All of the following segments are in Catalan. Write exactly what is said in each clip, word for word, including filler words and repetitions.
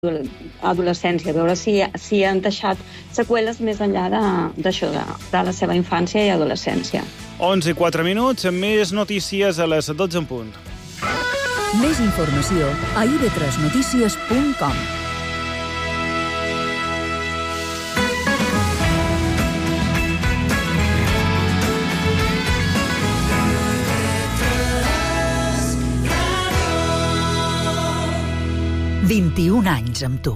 adolescència, veure si, si han deixat seqüeles més enllà d'això, de, de la seva infància i adolescència. onze i quatre minuts, amb més notícies a les dotze en punt. Més informació a i be tres notícies punt com. vint-i-un anys amb tu.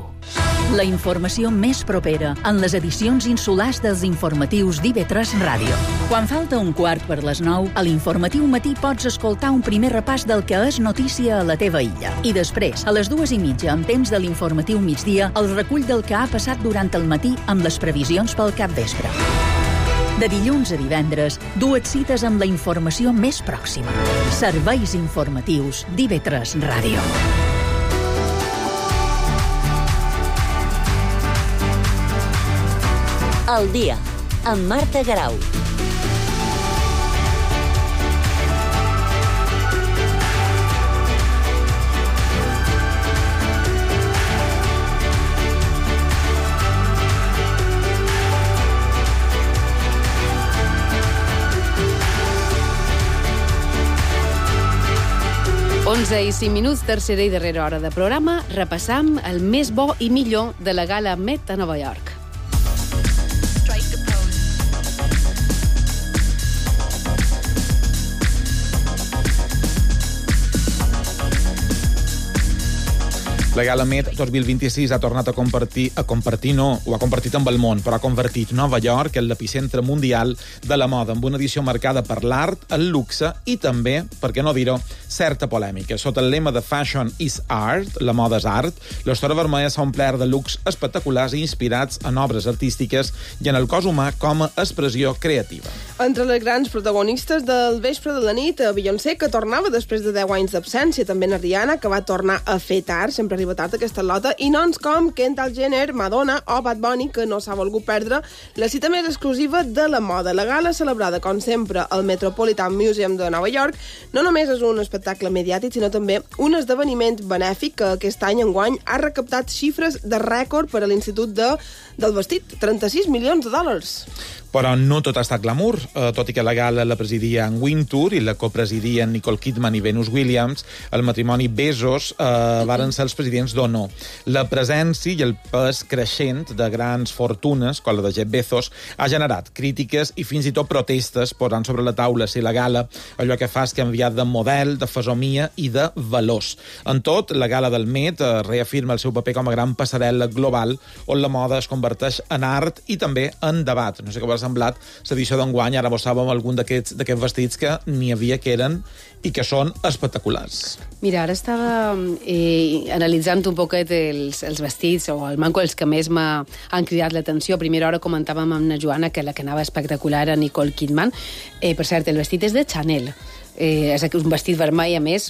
La informació més propera en les edicions insulars dels informatius d'I be tres Ràdio. Quan falta un quart per les nou, a l'informatiu matí pots escoltar un primer repàs del que és notícia a la teva illa. I després, a les dues i mitja, amb temps de l'informatiu migdia, el recull del que ha passat durant el matí amb les previsions pel capvespre. De dilluns a divendres, dues cites amb la informació més pròxima. Serveis informatius d'I be tres Ràdio. El dia, amb Marta Garau. onze i cinc minuts, tercera i darrera hora de programa. Repassam el més bo i millor de la Gala Met a Nova York. La Gala Met dos mil vint-i-sis ha tornat a compartir, a compartir no, ho ha compartit amb el món, però ha convertit Nova York en l'epicentre mundial de la moda, amb una edició marcada per l'art, el luxe i també, per què no dir-ho, certa polèmica. Sota el lema de Fashion is Art, la moda és art, l'Estora Vermella s'ha omplert de looks espectaculars i inspirats en obres artístiques i en el cos humà com a expressió creativa. Entre les grans protagonistes del vespre de la nit, Beyoncé, que tornava després de deu anys d'absència, també na Rihanna, que va tornar a fer tard, sempre arriba tard aquesta lota, i noms com Kendall Jenner, Madonna o Bad Bunny, que no s'ha volgut perdre la cita més exclusiva de la moda. La gala, celebrada, com sempre, al Metropolitan Museum de Nova York, no només és un espectacle mediàtic, sinó també un esdeveniment benèfic que aquest any enguany ha recaptat xifres de rècord per a l'Institut de, del Vestit, trenta-sis milions de dòlars. Però no tot ha estat glamour, eh, tot i que la gala la presidia en Wintour i la copresidien Nicole Kidman i Venus Williams, el matrimoni Bezos eh, varen ser els presidents d'honor. La presència i el pes creixent de grans fortunes, com la de Jeff Bezos, ha generat crítiques i fins i tot protestes, posant sobre la taula si la gala allò que fa és canviar de model, de fesomia i de valors. En tot, la gala del Met eh, reafirma el seu paper com a gran passarel·la global on la moda es converteix en art i també en debat. No sé com semblat l'edició d'enguany, ara mostràvem algun d'aquests d'aquests vestits que n'hi havia que eren i que són espectaculars. Mira, ara estava eh, analitzant un poquet els, els vestits o el manco els que més m'han cridat l'atenció. A primera hora comentàvem amb na Joana que la que anava espectacular era Nicole Kidman. Eh, per cert, el vestit és de Chanel. Eh, és un vestit vermell, a més,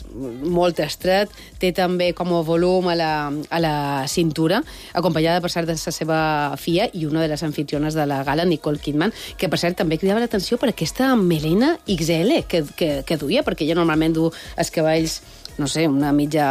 molt estret, té també com a volum a la, a la cintura, acompanyada, per cert, de la seva filla i una de les anfitriones de la gala, Nicole Kidman, que, per cert, també cridava l'atenció per aquesta melena ics ele que, que, que duia, perquè ella normalment du els cabells, no sé, una mitja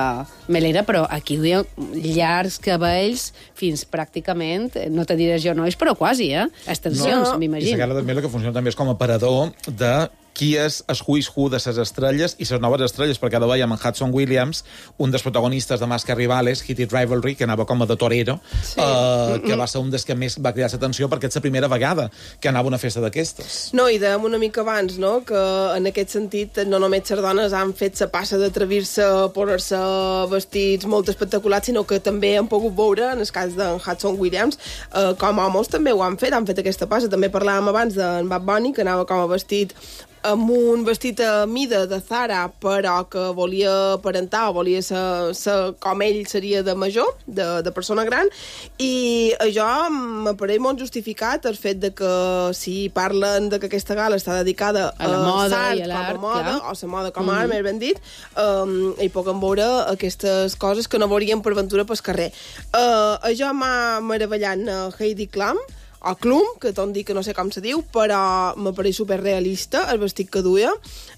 melera, però aquí duia llargs cabells fins pràcticament, no te diré genolls, però quasi, eh? Extensions, no, m'imagino. I la gala també el que funciona també és com a aparador de qui és el who's who de les estrelles i les noves estrelles, perquè ara veiem en Hudson Williams, un dels protagonistes de Màscara Rivales, Hit It Rivalry, que anava com a de torero, sí. eh, que va ser un dels que més va cridar l'atenció perquè és la primera vegada que anava a una festa d'aquestes. No, i dèiem una mica abans, no?, que en aquest sentit no només les dones han fet la passa d'atrevir-se a posar-se vestits molt espectaculars, sinó que també han pogut veure, en el cas d'en Hudson Williams, eh, com homes també ho han fet, han fet aquesta passa. També parlàvem abans d'en Bad Bunny, que anava com a vestit amb un vestit a mida de Zara, però que volia aparentar o volia ser, ser com ell seria de major, de, de persona gran, i això m'apareix molt justificat el fet de que si parlen de que aquesta gala està dedicada a la moda a i a l'art, com a moda, clar. o la moda com a art, mm-hmm. més ben dit, um, hi puguem veure aquestes coses que no veuríem per ventura pel carrer. Uh, això m'ha meravellat uh, Heidi Klum, o Clum, que tot dic que no sé com se diu, però m'apareix superrealista el vestit que duia.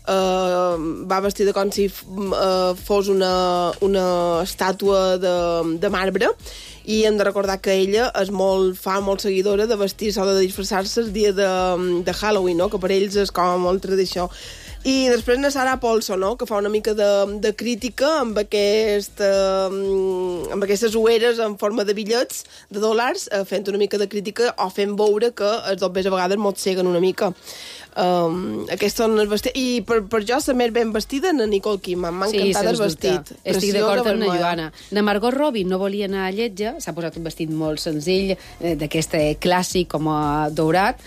Uh, va vestida com si uh, fos una, una estàtua de, de marbre, i hem de recordar que ella és molt fa, molt seguidora de vestir-se o de disfressar-se el dia de, de Halloween, no? Que per ells és com molt tradició. I després na Sarah Paulson, no? Que fa una mica de, de crítica amb, aquest, uh, amb aquestes ueres en forma de bitllets de dòlars, uh, fent una mica de crítica o fent veure que els dobbers a vegades mosseguen una mica. Um, aquests són els vestits. I per, per jo la més ben vestida na Nicole Kidman. M'ha sí, encantat el vestit. Estic d'acord amb la Joana. Na Margot Robbie no volia anar a lletja, s'ha posat un vestit molt senzill, eh, d'aquest clàssic com a daurat.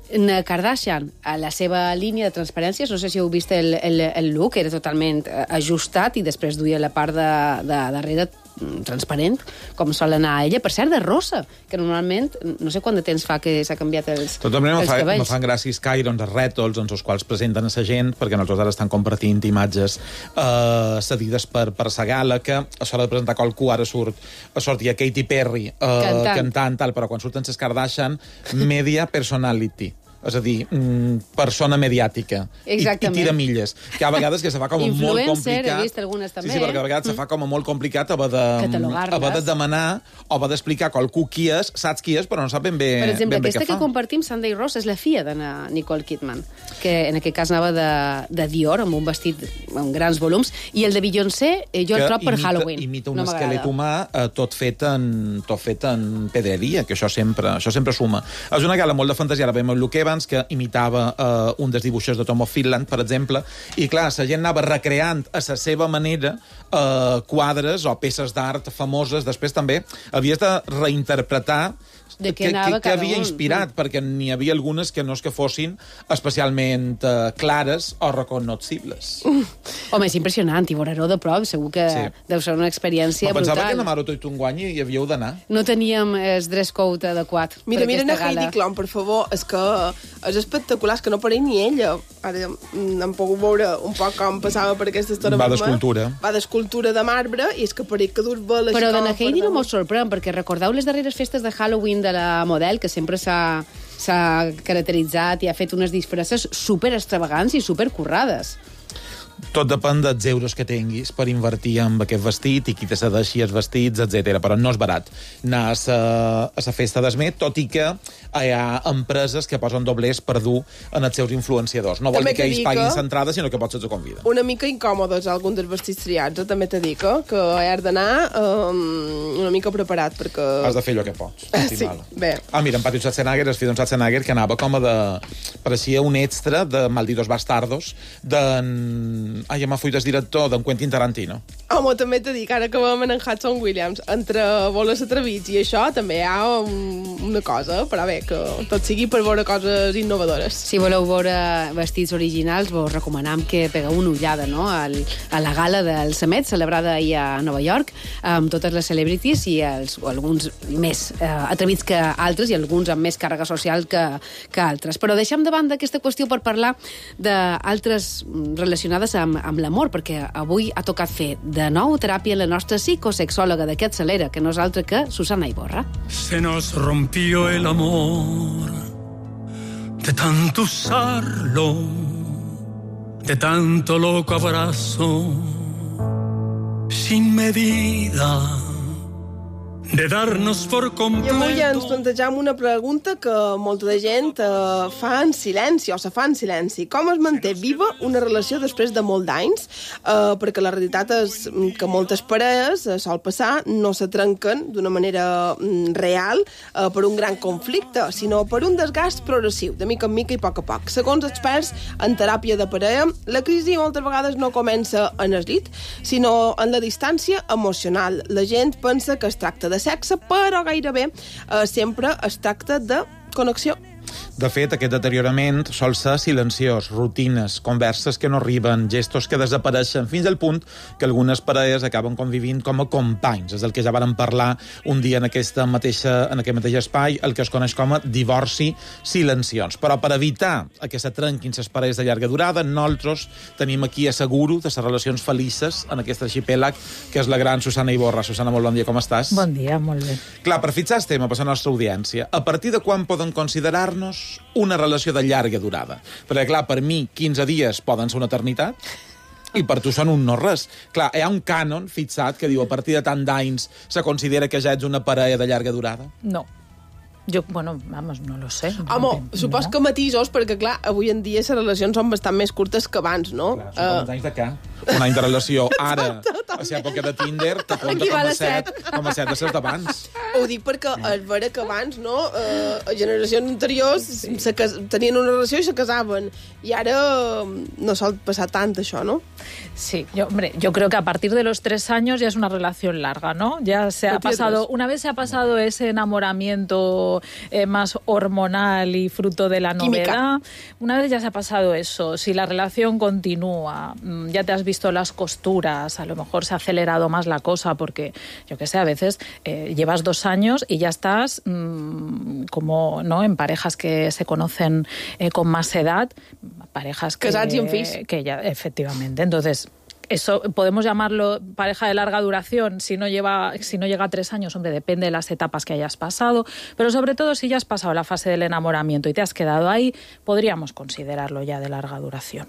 Na Kardashian, a la seva línia de transparències, no sé si heu vist el, el, el look, era totalment ajustat i després duia la part de, de darrere transparent, com sol anar a ella. Per cert, de rosa, que normalment, no sé quant de temps fa que s'ha canviat els, Totalment els fa, cabells. Me fan gràcia Sky, doncs, els rètols, doncs, els quals presenten a sa gent, perquè nosaltres ara estan compartint imatges eh, cedides per, per sa gala, que a l'hora de presentar qualcú ara surt, sortia Katy Perry eh, cantant. cantant, tal, però quan surten ses Kardashian, media personality. És a dir, persona mediàtica. I, i tira milles. Que a vegades que se fa com molt complicat. Influencer, he vist algunes també. Sí, sí, perquè a vegades mm. se fa com molt complicat haver de, haver de demanar o haver d'explicar qualcú qui és, saps qui és, però no sap ben bé, per exemple, ben bé aquesta què que fa. compartim, Sunday Rose, és la filla de Nicole Kidman, que en aquest cas anava de, de Dior, amb un vestit amb grans volums, i el de Beyoncé, eh, jo el trob per imita, Halloween. Imita un no esquelet humà eh, tot, fet en, tot fet en pedreria, que això sempre, això sempre suma. És una gala molt de fantasia. Ara veiem el Luke Evans, que imitava Uh, un dels dibuixos de Tom of Finland, per exemple, i clar, la gent anava recreant a la seva manera uh, quadres o peces d'art famoses. Després també havies de reinterpretar de que, que, que havia un. inspirat, mm. perquè n'hi havia algunes que no és que fossin especialment uh, clares o recognoscibles. Mm. Home, és impressionant, i veure-ho de prop, segur que sí. deu ser una experiència brutal. Pensava que a Maro tot un guany i havíeu d'anar. No teníem el dress code adequat. Mira, per mira aquesta a Heidi gala. Klum, per favor, és que és espectacular, és que no pareix ni ella. Ara hem pogut veure un poc com passava per aquesta estona. Va d'escultura. Va d'escultura de marbre, i és que pareix que dur bé la Però de na per Heidi no m'ho sorprèn, perquè recordeu les darreres festes de Halloween de la model, que sempre s'ha s'ha caracteritzat i ha fet unes disfresses super extravagants i super currades. Tot depèn dels euros que tinguis per invertir en aquest vestit i qui te cedeixi els vestits, etcètera. Però no és barat anar a sa, a sa festa d'Esmet, tot i que hi ha empreses que posen doblers per dur en els seus influenciadors. No vol També dir que ells que paguin l'entrada, sinó que potser els conviden. Una mica incòmodes alguns dels vestits triats, eh? També t'he dit que, que has d'anar um, una mica preparat, perquè... Has de fer allò que pots. Sí, bé. Ah, mira, en Patrick Schwarzenegger, el fill d'en Schwarzenegger, que anava com a de... Pareixia un extra de Malditos Bastardos, d'en... Ai, ja m'ha fuit el director, d'en Quentin Tarantino. Home, també t'he dit que ara que vam en Hudson Williams, entre Boles atrevits i això, també hi ha un, una cosa, però bé, que tot sigui per veure coses innovadores. Si voleu veure vestits originals, vos recomanem que pegueu una ullada, no?, al, a la gala del Summit, celebrada ahir a Nova York, amb totes les celebrities i els, alguns més eh, atrevits que altres i alguns amb més càrrega social que, que altres. Però deixem de banda aquesta qüestió per parlar d'altres relacionades amb, amb l'amor, perquè avui ha tocat fer de nou teràpia la nostra psicosexòloga d'aquest Celera, que no és altra que Susana Iborra. Se nos rompió el amor de tanto usarlo, de tanto loco abrazo, sin medida, de darnos por completo. I avui ens plantejam una pregunta que molta de gent eh, fa en silenci, o se fa en silenci. Com es manté viva una relació després de molt d'anys? Eh, perquè la realitat és que moltes parelles, eh, sol passar, no se trenquen d'una manera mm, real eh, per un gran conflicte, sinó per un desgast progressiu, de mica en mica i a poc a poc. Segons experts en teràpia de parella, la crisi moltes vegades no comença en el llit, sinó en la distància emocional. La gent pensa que es tracta de sexe, però gairebé eh, sempre es tracta de connexió. De fet, aquest deteriorament sol ser silenciós, rutines, converses que no arriben, gestos que desapareixen, fins al punt que algunes parelles acaben convivint com a companys. És el que ja vàrem parlar un dia en, aquesta mateixa, en aquest mateix espai, el que es coneix com a divorci silenciós. Però per evitar que se trenquin les parelles de llarga durada, nosaltres tenim aquí asseguro de les relacions felices en aquest arxipèlag, que és la gran Susana Iborra. Susana, molt bon dia, com estàs? Bon dia, molt bé. Clar, per fixar el tema per la nostra audiència, a partir de quan poden considerar-nos una relació de llarga durada? Perquè, clar, per mi, quinze dies poden ser una eternitat, i per tu són un no-res. Clar, hi ha un cànon fixat que diu a partir de tant d'anys se considera que ja ets una parella de llarga durada? No. Jo, bueno, vamos, no lo sé. Home, supos que matisos, perquè, clar, avui en dia les relacions són bastant més curtes que abans, no? Clar, són uh... uns anys de què? Un any de relació. Ara, a l'època de Tinder, te compta com a set, com a set de ser d'abans. Ho dic perquè és vera que abans, no? Uh, a generacions anteriors sí. se cas... tenien una relació i se casaven. I ara no sol passar tant, això, ¿no? Sí, yo, hombre, yo creo que a partir de los tres años ya es una relación larga, ¿no? Ya se ha pasado, una vez se ha pasado ese enamoramiento eh, más hormonal y fruto de la novedad, Química. Una vez ya se ha pasado eso, si la relación continúa, ya te has visto las costuras, a lo mejor se ha acelerado más la cosa porque, yo qué sé, a veces eh, llevas dos años y ya estás mmm, como, ¿no? En parejas que se conocen eh, con más edad, parejas que, que ya, efectivamente, entonces eso podemos llamarlo pareja de larga duración si no lleva si no llega a tres años, hombre, depende de las etapas que hayas pasado, pero sobre todo si ya has pasado la fase del enamoramiento y te has quedado ahí, podríamos considerarlo ya de larga duración.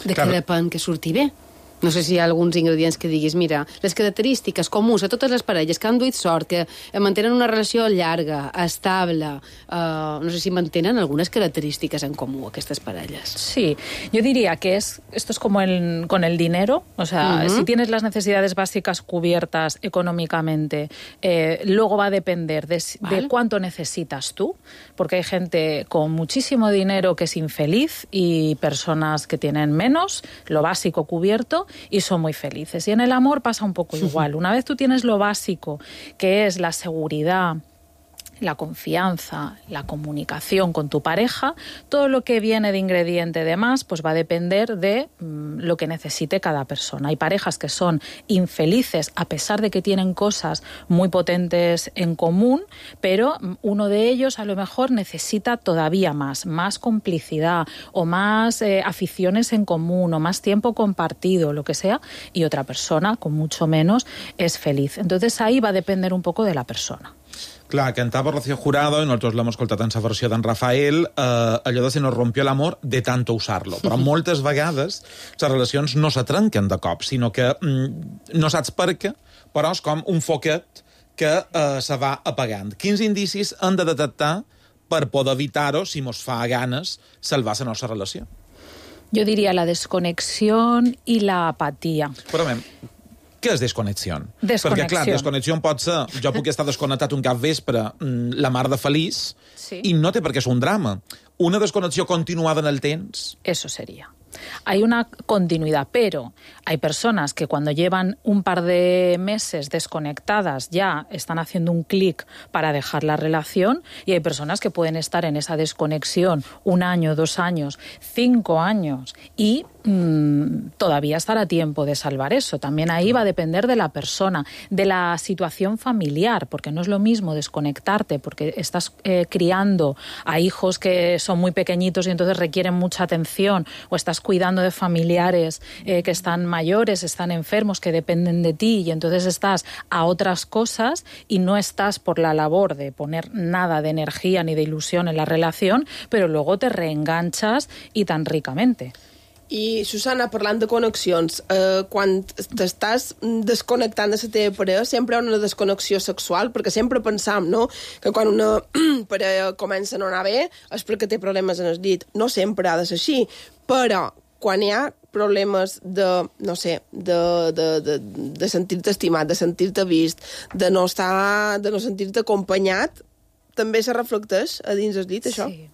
De què depèn que surti bé? No sé si hi ha alguns ingredients que diguis, mira, les característiques comuns a totes les parelles que han duit sort, que mantenen una relació llarga, estable, uh, no sé si mantenen algunes característiques en comú aquestes parelles. Sí, yo diría que es esto es como el, con el dinero, o sea, uh-huh. si tienes las necesidades básicas cubiertas económicamente, eh, luego va a depender de, ¿vale? de cuánto necesitas tú, porque hay gente con muchísimo dinero que es infeliz y personas que tienen menos, lo básico cubierto, y son muy felices. Y en el amor pasa un poco igual. Una vez tú tienes lo básico, que es la seguridad, la confianza, la comunicación con tu pareja, todo lo que viene de ingrediente de más, pues va a depender de mmm, lo que necesite cada persona. Hay parejas que son infelices a pesar de que tienen cosas muy potentes en común, pero uno de ellos a lo mejor necesita todavía más, más complicidad o más eh, aficiones en común o más tiempo compartido, lo que sea, y otra persona con mucho menos es feliz. Entonces ahí va a depender un poco de la persona. Clar, cantava Rocío Jurado, i nosaltres l'hem escoltat en la versió d'en Rafael, eh, allò de se nos rompió l'amor de tanto usar-lo. Però moltes vegades les relacions no se trenquen de cop, sinó que mm, no saps per què, però és com un foquet que eh, se va apagant. Quins indicis hem de detectar per poder evitar-ho, si mos fa ganes, salvar la nostra relació? Yo diría la desconexión y la apatía. Però, mem, què és desconnexió? Desconnexió. Perquè, clar, desconnexió pot ser... Jo puc estar desconnectat un cap vespre, la mar de feliç, sí. i no té per què ser un drama. Una desconnexió continuada en el temps... Eso sería. Hay una continuidad, pero hay personas que cuando llevan un par de meses desconectadas ya están haciendo un clic para dejar la relación, y hay personas que pueden estar en esa desconexión un año, dos años, cinco años y mmm, todavía estará a tiempo de salvar eso. También ahí va a depender de la persona, de la situación familiar, porque no es lo mismo desconectarte porque estás eh, criando a hijos que son muy pequeñitos y entonces requieren mucha atención, o estás cuidando de familiares eh, que están mayores, están enfermos, que dependen de ti, y entonces estás a otras cosas y no estás por la labor de poner nada de energía ni de ilusión en la relación, pero luego te reenganchas y tan ricamente. I, Susana, parlant de connexions, eh, quan t'estàs desconnectant de la teva parella, sempre hi ha una desconnexió sexual, perquè sempre pensam, no?, que quan una parella comença a no anar bé és perquè té problemes en el llit. No sempre ha de ser així, però quan hi ha problemes de, no sé, de, de, de, de sentir-te estimat, de sentir-te vist, de no estar, de no sentir-te acompanyat, també se reflecteix a dins el llit, això? Sí.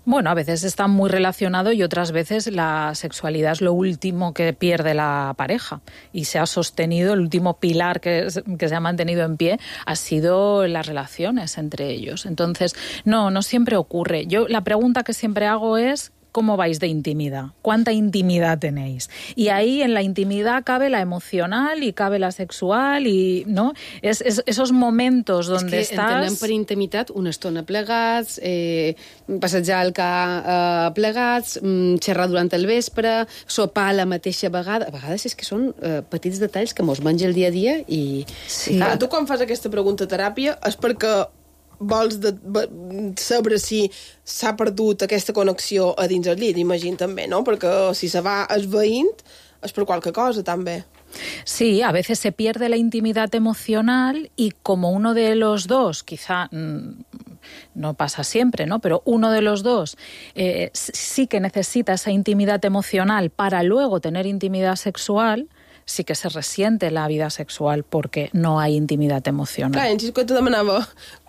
Bueno, a veces está muy relacionado y otras veces la sexualidad es lo último que pierde la pareja y se ha sostenido, el último pilar que, que se ha mantenido en pie ha sido las relaciones entre ellos. Entonces, no, no siempre ocurre. Yo la pregunta que siempre hago es ¿cómo vais de intimidad? ¿Cuánta intimidad tenéis? Y ahí en la intimidad cabe la emocional y cabe la sexual i no? Es, és, esos momentos donde és que estàs... entenem per intimitat una estona plegats, eh, passejar el car eh, plegats, mm, xerrar durant el vespre, sopar a la mateixa vegada. A vegades és que són eh, petits detalls que mos menja el dia a dia i... Sí. Clar, tu quan fas aquesta pregunta a teràpia és perquè vols de, saber si s'ha perdut aquesta connexió a dins el llit, imagino també, ¿no? Perquè si se va esveint és per qualque cosa, també. Sí, a veces se pierde la intimidad emocional y como uno de los dos, quizá mmm, no pasa siempre, ¿no? Pero uno de los dos eh, sí que necesita esa intimidad emocional para luego tener intimidad sexual, sí que se resiente la vida sexual porque no hay intimidad emocional. Clar, en Xisco te demanava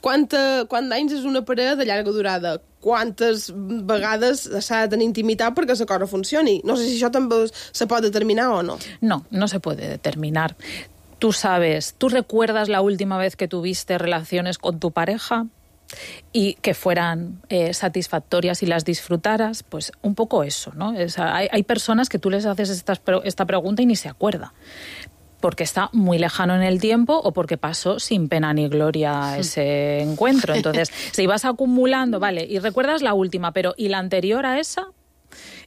quanta, quant d'anys és una parella de llarga durada, quantes vegades s'ha de tenir intimitat perquè la cosa funcioni. No sé si això també se pot determinar o no. No, no se puede determinar. Tú sabes, ¿tú recuerdas la última vez que tuviste relaciones con tu pareja? Y que fueran eh, satisfactorias y las disfrutaras, pues un poco eso, ¿no? Es, hay, hay personas que tú les haces esta, esta pregunta y ni se acuerda, porque está muy lejano en el tiempo o porque pasó sin pena ni gloria ese encuentro. Entonces, si vas acumulando, vale, y recuerdas la última, pero ¿y la anterior a esa?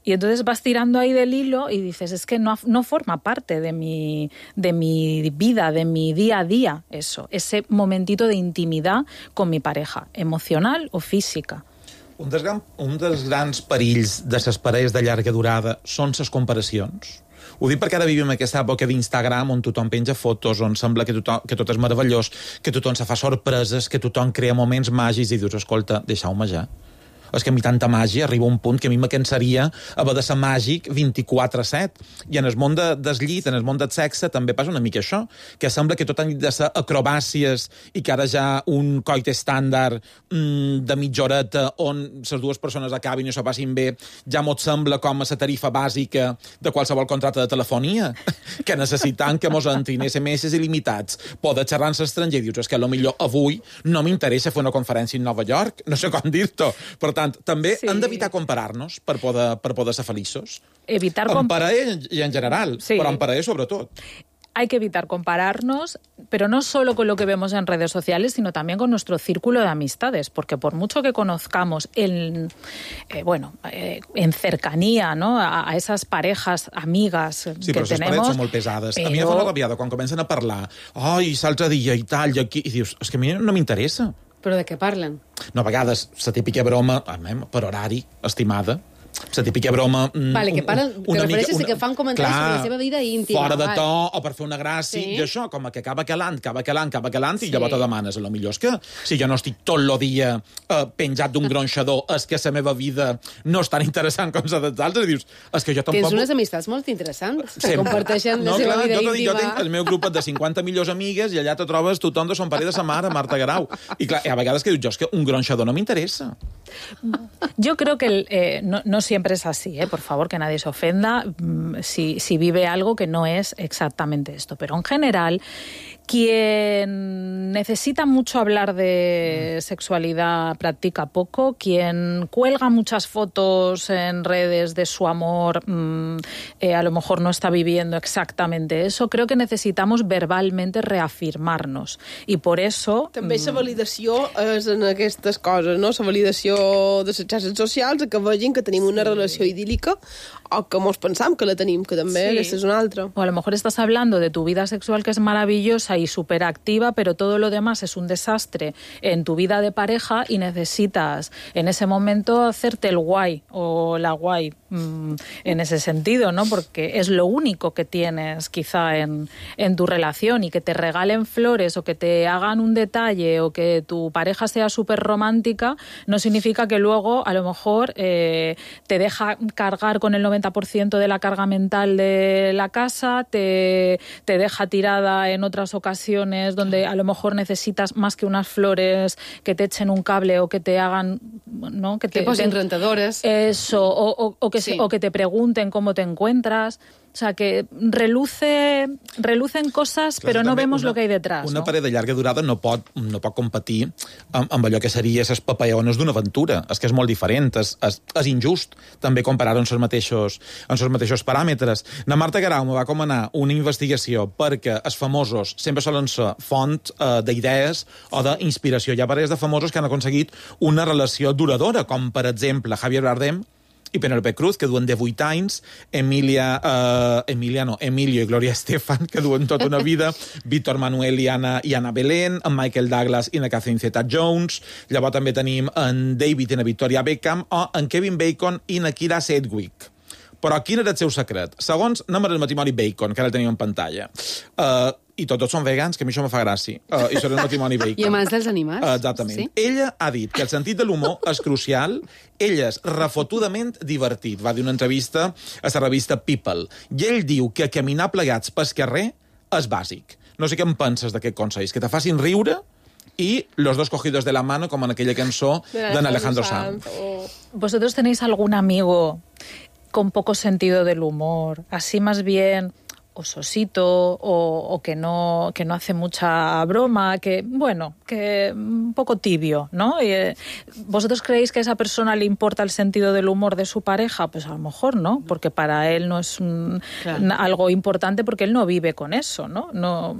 Y entonces vas tirando ahí del hilo y dices, es que no, no forma parte de mi, de mi vida, de mi día a día, eso, ese momentito de intimidad con mi pareja, emocional o física. Un dels, gran, un dels grans perills de les parelles de llarga durada són les comparacions. Ho dic perquè ara vivim aquesta època d'Instagram on tothom penja fotos, on sembla que, tothom, que tot és meravellós, que tothom se fa sorpreses, que tothom crea moments màgics i dius, escolta, deixeu-me ja. És que a mi tanta màgia arriba un punt que a mi me cansaria haver de ser màgic vint-i-quatre set. I en el món de, del llit, en el món del sexe, també passa una mica això, que sembla que tot han de ser acrobàcies i que ara ja un coit estàndard mmm, de mitja horeta on les dues persones acabin i s'ho passin bé, ja mos sembla com a la tarifa bàsica de qualsevol contracte de telefonia, que necessitant que mos entrin esse eme esse il·limitats, poder xerrar en l'estranger, dius, és que potser avui no m'interessa fer una conferència en Nova York, no sé com dir-t'ho. Per tant, també sí. hem d'evitar comparar-nos per poder, per poder ser feliços. Evitar en parella i en general, sí. Però en parella sobretot. Hay que evitar compararnos, pero no solo con lo que vemos en redes sociales, sino también con nuestro círculo de amistades, porque por mucho que conozcamos en, eh, bueno, eh, en cercanía, ¿no? a, a esas parejas amigas sí, que però tenemos... Sí, però les parets són molt pesades. Però... A mi em fa una rabiada quan comencen a parlar ai, l'altre dia i tal, i aquí, i dius, és que a mi no m'interessa. Però de què parlen? No, a vegades, la típica broma, per horari, estimada, la típica broma... Vale, que parlen, que refereixes una, que fan comentaris sobre la seva vida íntima. Fora de to, o per fer una gràcia, sí. I això, com que acaba calant, acaba calant, acaba calant, sí. I llavors te demanes, a lo millor és que si jo no estic tot el dia eh, penjat d'un gronxador, és que la meva vida no és tan interessant com la dels altres, i dius, és que jo tampoc... Tens unes amistats molt interessants, sí. Que comparteixen no, la seva clar, vida jo, íntima. Jo tinc el meu grup de cinquanta millors amigues i allà te trobes tothom de son pare de sa mare, Marta Garau. I clar, a vegades que dius, jo, és que un gronxador no m'interessa. Yo creo que eh, no, no siempre es así, ¿eh? Por favor, que nadie se ofenda si, si vive algo que no es exactamente esto. Pero en general, quien necesita mucho hablar de sexualidad practica poco, quien cuelga muchas fotos en redes de su amor mmm, eh, a lo mejor no está viviendo exactamente eso. Creo que necesitamos verbalmente reafirmarnos i por eso... També la validació és en aquestes coses, no? La validació de les xarxes socials, que vegin que tenim una relació idíl·lica o que mos pensam que la tenim, que també sí. Aquesta és una altra. O a lo mejor estás hablando de tu vida sexual que es maravillosa y superactiva, pero todo lo demás es un desastre en tu vida de pareja y necesitas en ese momento hacerte el guay o la guay mmm, en ese sentido, ¿no? Porque es lo único que tienes quizá en, en tu relación, y que te regalen flores o que te hagan un detalle o que tu pareja sea súper romántica no significa que luego a lo mejor eh, te deja cargar con el noventa por ciento de la carga mental de la casa, te, te deja tirada en otras ocasiones ocasiones donde a lo mejor necesitas más que unas flores que te echen un cable o que te hagan, ¿no? Que te, que posen te, rentadores. Eso, o, o, o, que sí. se, o que te pregunten cómo te encuentras. O sea, que reluce, relucen coses, Clar, però no també vemos una, lo que hay detrás. Una no? parella de llarga durada no pot, no pot competir amb, amb allò que seria les papayones d'una aventura. És que és molt diferent, és, és, és injust també comparar en els mateixos, en els mateixos paràmetres. Na Marta Guerau me va comanar una investigació perquè els famosos sempre solen ser font eh, d'idees o d'inspiració. Hi ha parelles de famosos que han aconseguit una relació duradora, com per exemple Javier Bardem i Penélope Cruz, que duen divuit anys, Emilia, uh, Emilia no, Emilio i Gloria Estefan, que duen tota una vida, Víctor Manuel i Anna, i Anna Belén, en Michael Douglas i na Catherine Zeta-Jones, llavors també tenim en David i na Victoria Beckham, o en Kevin Bacon i na Kira Sedgwick. Però quin era el seu secret? Segons anem al matrimoni Bacon, que ara el tenim en pantalla. Uh, I tots dos són vegans, que a mi això me fa gràcia. Uh, I són el matrimoni Bacon. I amants dels animals. Uh, exactament. Sí? Ella ha dit que el sentit de l'humor és crucial. Ella és refotudament divertit. Va dir una entrevista a la revista People. I ell diu que caminar plegats pel carrer és bàsic. No sé què en penses d'aquest consell. Que te facin riure i los dos cogidos de la mano, com en aquella cançó d'en Alejandro Sanz. Oh. ¿Vosotros tenéis algún amigo con poco sentido del humor, así más bien ososito o, o que no que no hace mucha broma, que bueno, que un poco tibio, ¿no? Y, eh, ¿vosotros creéis que a esa persona le importa el sentido del humor de su pareja? Pues a lo mejor no, porque para él no es un, claro. algo importante porque él no vive con eso, ¿no? No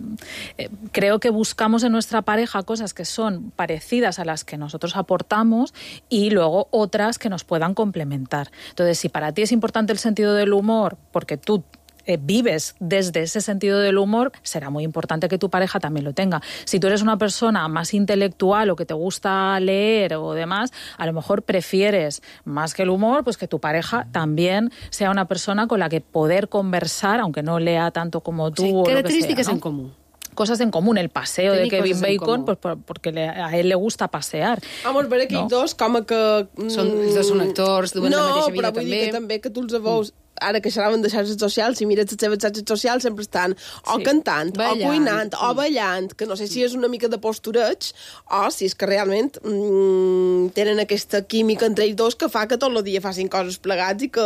eh, creo que buscamos en nuestra pareja cosas que son parecidas a las que nosotros aportamos y luego otras que nos puedan complementar. Entonces, si para ti es importante el sentido del humor porque tú Eh, vives desde ese sentido del humor, será muy importante que tu pareja también lo tenga. Si tú eres una persona más intelectual o que te gusta leer o demás, a lo mejor prefieres más que el humor, pues que tu pareja también sea una persona con la que poder conversar, aunque no lea tanto como tú. Sí, o características lo que sea, ¿no? en común. Cosas en común, el paseo Tenir de Kevin Bacon, pues, pues porque le, a él le gusta pasear. Vamos, per aquells no? dos, com que... Són, els dos són actors, duen no, la mateixa vida però vull també. dir que també que tu els veus... Ara que xerraven de xarxes socials, si mires les seves xarxes socials sempre estan o sí. cantant, ballant, o cuinant, sí. o ballant, que no sé si és una mica de postureig o si és que realment mm, tenen aquesta química entre ells dos que fa que tot el dia facin coses plegats i que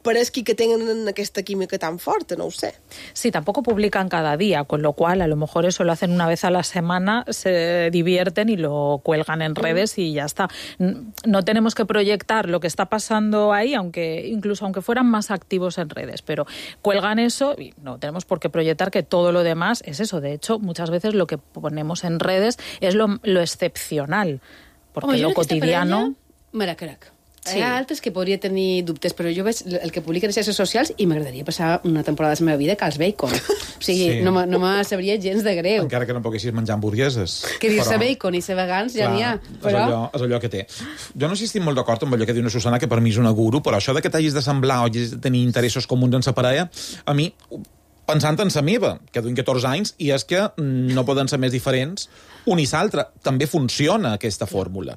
pareixi que tenen aquesta química tan forta, no ho sé. Sí, tampoco publican cada día, con lo cual a lo mejor eso lo hacen una vez a la semana, se divierten y lo cuelgan en redes y ya está. No tenemos que proyectar lo que está pasando ahí, aunque incluso aunque fueran más activos en redes, pero cuelgan eso y no tenemos por qué proyectar que todo lo demás es eso. De hecho, muchas veces lo que ponemos en redes es lo, lo excepcional, porque Home, lo cotidiano... Maracarac. Sí. Hi ha altres que podria tenir dubtes, però jo veig el que publiquen a xarxes socials i m'agradaria passar una temporada de la meva vida que els bacon. O sigui, Sí. no, me- no me sabria gens de greu. Encara que no poguessis menjar hamburgueses. Que dir-se Però- bacon i ser vegans ja Clar, n'hi ha. és, Però... allò, és allò que té. Jo no sé si estic molt d'acord amb allò que diu una Susana, que per mi és una guru, però això de que t'hagis d'assemblar o hagis de tenir interessos comuns en sa parella, a mi, pensant en sa meva, que duim catorze anys, i és que no poden ser més diferents un i l'altre. També funciona aquesta fórmula.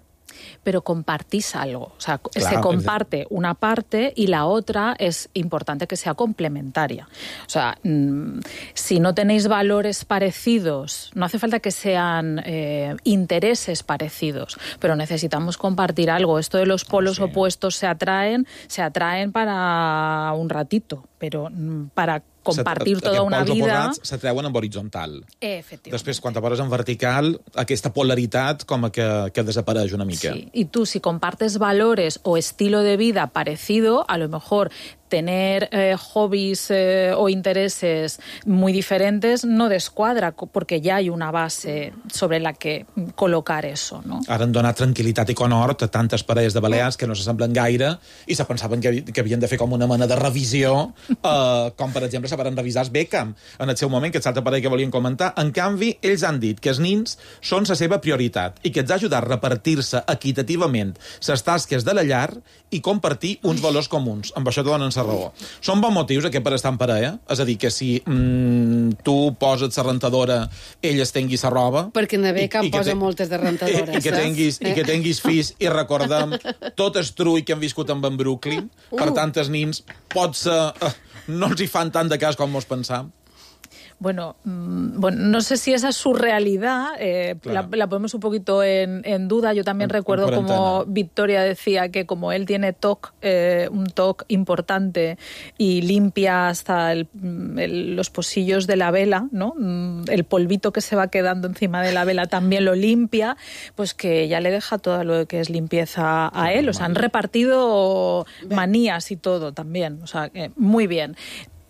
pero compartís algo. O sea, Claro, se comparte una parte y la otra es importante que sea complementaria. O sea, mmm, si no tenéis valores parecidos, no hace falta que sean eh, intereses parecidos, pero necesitamos compartir algo. Esto de los polos sí. opuestos se atraen, se atraen para un ratito, pero mmm, para compartir tota una vida... Els s'atreuen en horitzontal. Efectivament. Després, quan te poses en vertical, aquesta polaritat com que, que desapareix una mica. Sí. Y tú, si compartes valores o estilo de vida parecido, a lo mejor tener eh, hobbies eh, o intereses muy diferentes no descuadra, porque ya hay una base sobre la que colocar eso, no? Ara han donat tranquil·litat i conhort a tantes parelles de balears que no s'assemblen gaire i se pensaven que, que havien de fer com una mena de revisió, eh, com per exemple se van revisar els Beckham en el seu moment, que és l'altra parella que volien comentar. En canvi, ells han dit que els nins són la seva prioritat i que els ha ajudat a repartir-se equitativament les tasques de la llar i compartir uns valors comuns. Amb això te donen la raó. Són bons motius aquest per estar en parella? És a dir, que si mm, tu poses la rentadora, ell es tengui la roba... Perquè en Beckham posa te... moltes de rentadores. I, i, que tinguis, eh? I que tinguis fills i recordem tot el trull que han viscut amb en Brooklyn. Uh. Per tant, els nins potser uh, no els hi fan tant de cas com mos pensam. Bueno, mmm, bueno, no sé si esa es su realidad, eh, la, la ponemos un poquito en, en duda. Yo también en, recuerdo en como Victoria decía que como él tiene T O C, eh, un T O C importante y limpia hasta el, el, los pocillos de la vela, ¿no? El polvito que se va quedando encima de la vela también lo limpia, pues que ya le deja todo lo que es limpieza a él. O sea, han repartido manías y todo también. O sea, eh, muy bien.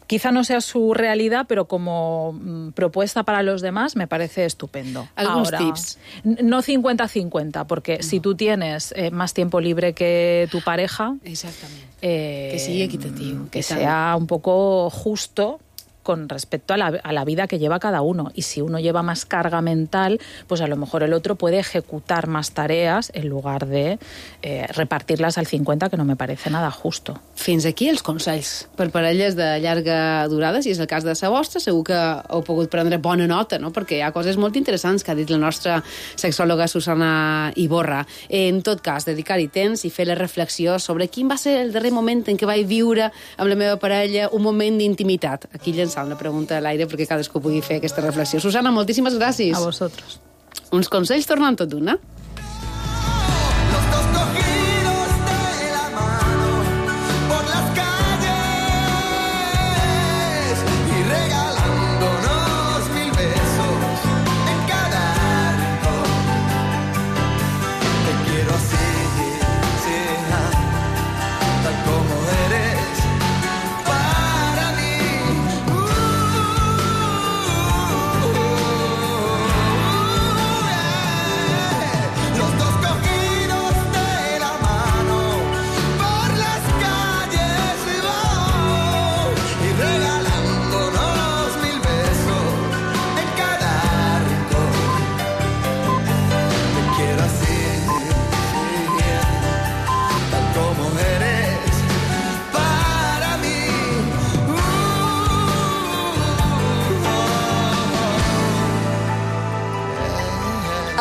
Quizá no sea su realidad, pero como mm, propuesta para los demás me parece estupendo. ¿Algunos Ahora, tips? No cincuenta cincuenta, porque no. si tú tienes eh, más tiempo libre que tu pareja... Exactamente. Eh, que sigui equitativo. Que sea un poco justo con respecto a la, a la vida que lleva cada uno. Y si uno lleva más carga mental, pues a lo mejor el otro puede ejecutar más tareas en lugar de eh, repartirlas al cincuenta, que no me parece nada justo. Fins aquí els consells per parelles de llarga durada. Si és el cas de la vostra, segur que heu pogut prendre bona nota, no? Perquè hi ha coses molt interessants que ha dit la nostra sexòloga Susana Iborra. En tot cas, dedicar-hi temps i fer la reflexió sobre quin va ser el darrer moment en què vaig viure amb la meva parella un moment d'intimitat. Aquí llençant una pregunta a l'aire perquè cadascú pugui fer aquesta reflexió. Susana, moltíssimes gràcies. A vosotros. Uns consells tornant tot d'una.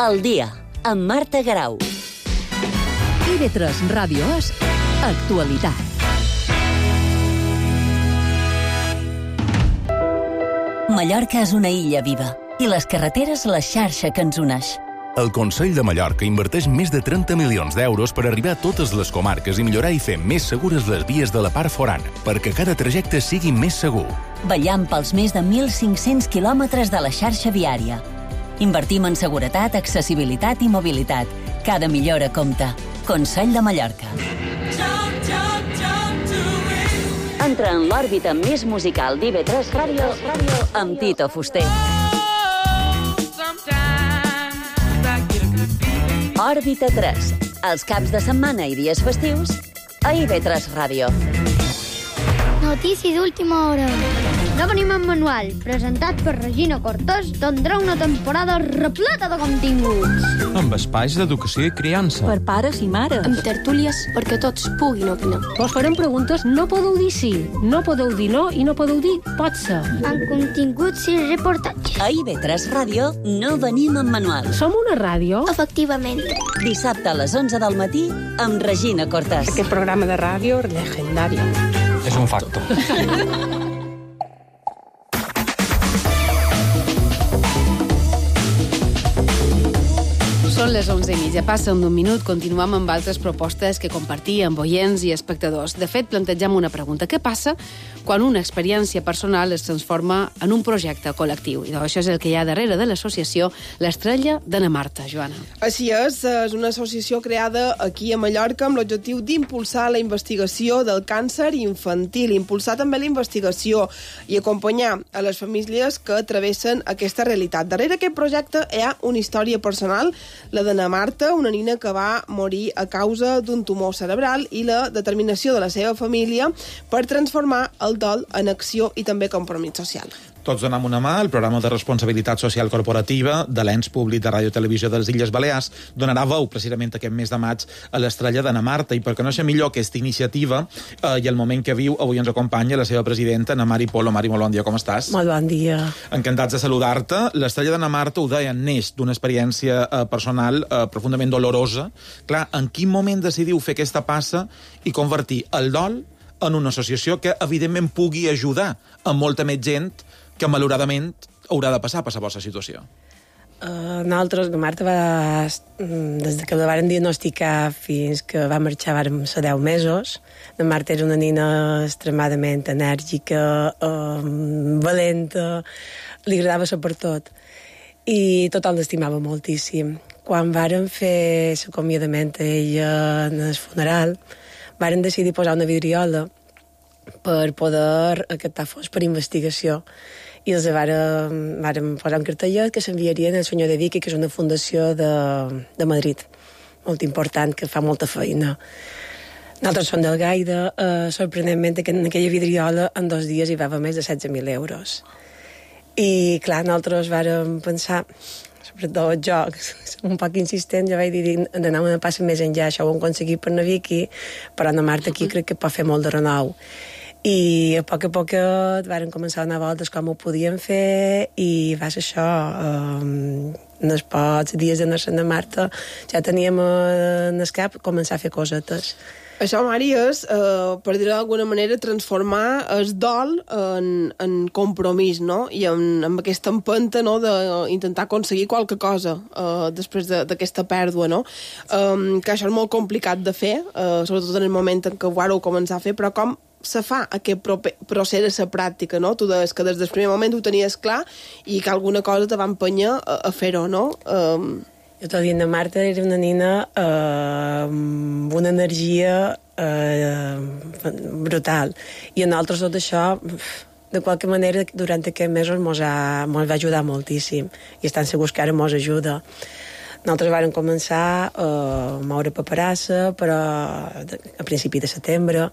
El dia, amb Marta Garau. I ve tres Ràdio és actualitat. Mallorca és una illa viva i les carreteres la xarxa que ens uneix. El Consell de Mallorca inverteix més de trenta milions d'euros per arribar a totes les comarques i millorar i fer més segures les vies de la part forana, perquè cada trajecte sigui més segur. Vetllant pels més de mil cinc-cents quilòmetres de la xarxa viària. Invertim en seguretat, accessibilitat i mobilitat. Cada millora compta. Consell de Mallorca. Entra en l'òrbita més musical d'I V tres Ràdio amb Tito Fuster. Òrbita tres. Els caps de setmana i dies festius a I V tres Ràdio. Notícia d'última hora. No venim en manual, presentat per Regina Cortés, tindrà una temporada repleta de continguts. Amb espais d'educació i criança. Per pares i mares. Amb tertúlies perquè tots puguin opinar. Vos farem preguntes, no podeu dir sí, no podeu dir no i no podeu dir pot ser. Amb continguts i reportatges. A I V tres Ràdio no venim en manual. Som una ràdio? Efectivament. Dissabte a les onze del matí amb Regina Cortés. Aquest programa de ràdio legendari. És un facto. Són les onze i mitja, passen d'un minut, continuem amb altres propostes que compartir amb oients i espectadors. De fet, plantegem una pregunta. Què passa quan una experiència personal es transforma en un projecte col·lectiu? I això és el que hi ha darrere de l'associació L'Estrella d'Anna Marta. Joana. Així és, és una associació creada aquí a Mallorca amb l'objectiu d'impulsar la investigació del càncer infantil, impulsar també la investigació i acompanyar a les famílies que travessen aquesta realitat. Darrere aquest projecte hi ha una història personal, la d'Anna Marta, una nina que va morir a causa d'un tumor cerebral, i la determinació de la seva família per transformar el dol en acció i també compromís social. Tots donem una mà. El programa de responsabilitat social corporativa de l'ens públic de Ràdio i Televisió de les Illes Balears donarà veu precisament aquest mes de maig a l'Estrella d'Anna Marta, i per conèixer millor aquesta iniciativa eh, i el moment que viu, avui ens acompanya la seva presidenta, Ana Mari Polo. Mari, molt bon dia, com estàs? Molt bon dia. Encantats de saludar-te. L'Estrella d'Anna Marta, ho deia, neix d'una experiència eh, personal eh, profundament dolorosa. Clar, en quin moment decidiu fer aquesta passa i convertir el dol en una associació que, evidentment, pugui ajudar a molta més gent que malauradament haurà de passar per la vostra situació? Uh, nosaltres, la Marta va, des que la varen diagnosticar fins que va marxar, vàrem ser deu mesos. La Marta era una nina extremadament enèrgica, uh, valenta, li agradava ser per tot. I tothom l'estimava moltíssim. Quan vàrem fer l'acomiadament a ella en el funeral, vàrem decidir posar una vidriola per poder captar fons per investigació. I els vàrem, vàrem posar un cartellet que s'enviarien al senyor de Vicky, que és una fundació de, de Madrid, molt important, que fa molta feina. Nosaltres som del Gaida, eh, sorprenentment, que en aquella vidriola en dos dies hi va haver més de setze mil euros. I, clar, nosaltres vàrem pensar, sobretot jo, un poc insistent, jo vaig dir d'anar una passa més enllà, això ho hem aconseguit per la Vicky, però la Marta aquí crec que pot fer molt de renou. I a poc a poc varen començar a donar voltes com ho podíem fer i va ser això. Um, en els pocs dies d'anar-se a Marta ja teníem en el cap començar a fer cosetes. Això, Mari, és, eh, per dir-ho d'alguna manera, transformar el dol en, en compromís, no? I en, en aquesta empenta, no?, d'intentar aconseguir qualque cosa eh, després d'aquesta pèrdua, no? Um, que això és molt complicat de fer, eh, sobretot en el moment en què ho vareu començar a fer, però com se fa aquest procés de la pràctica, no? Tu deies que des del primer moment ho tenies clar i que alguna cosa te va empenyar a, a fer-ho, no? Um... Jo t'ho dic, la Marta era una nina eh, amb una energia eh, brutal. I a nosaltres tot això, de qualque manera, durant aquests mesos mos, ha, mos va ajudar moltíssim. I estan segurs que ara mos ajuda. Nosaltres vàrem començar a moure paperassa, però a principi de setembre.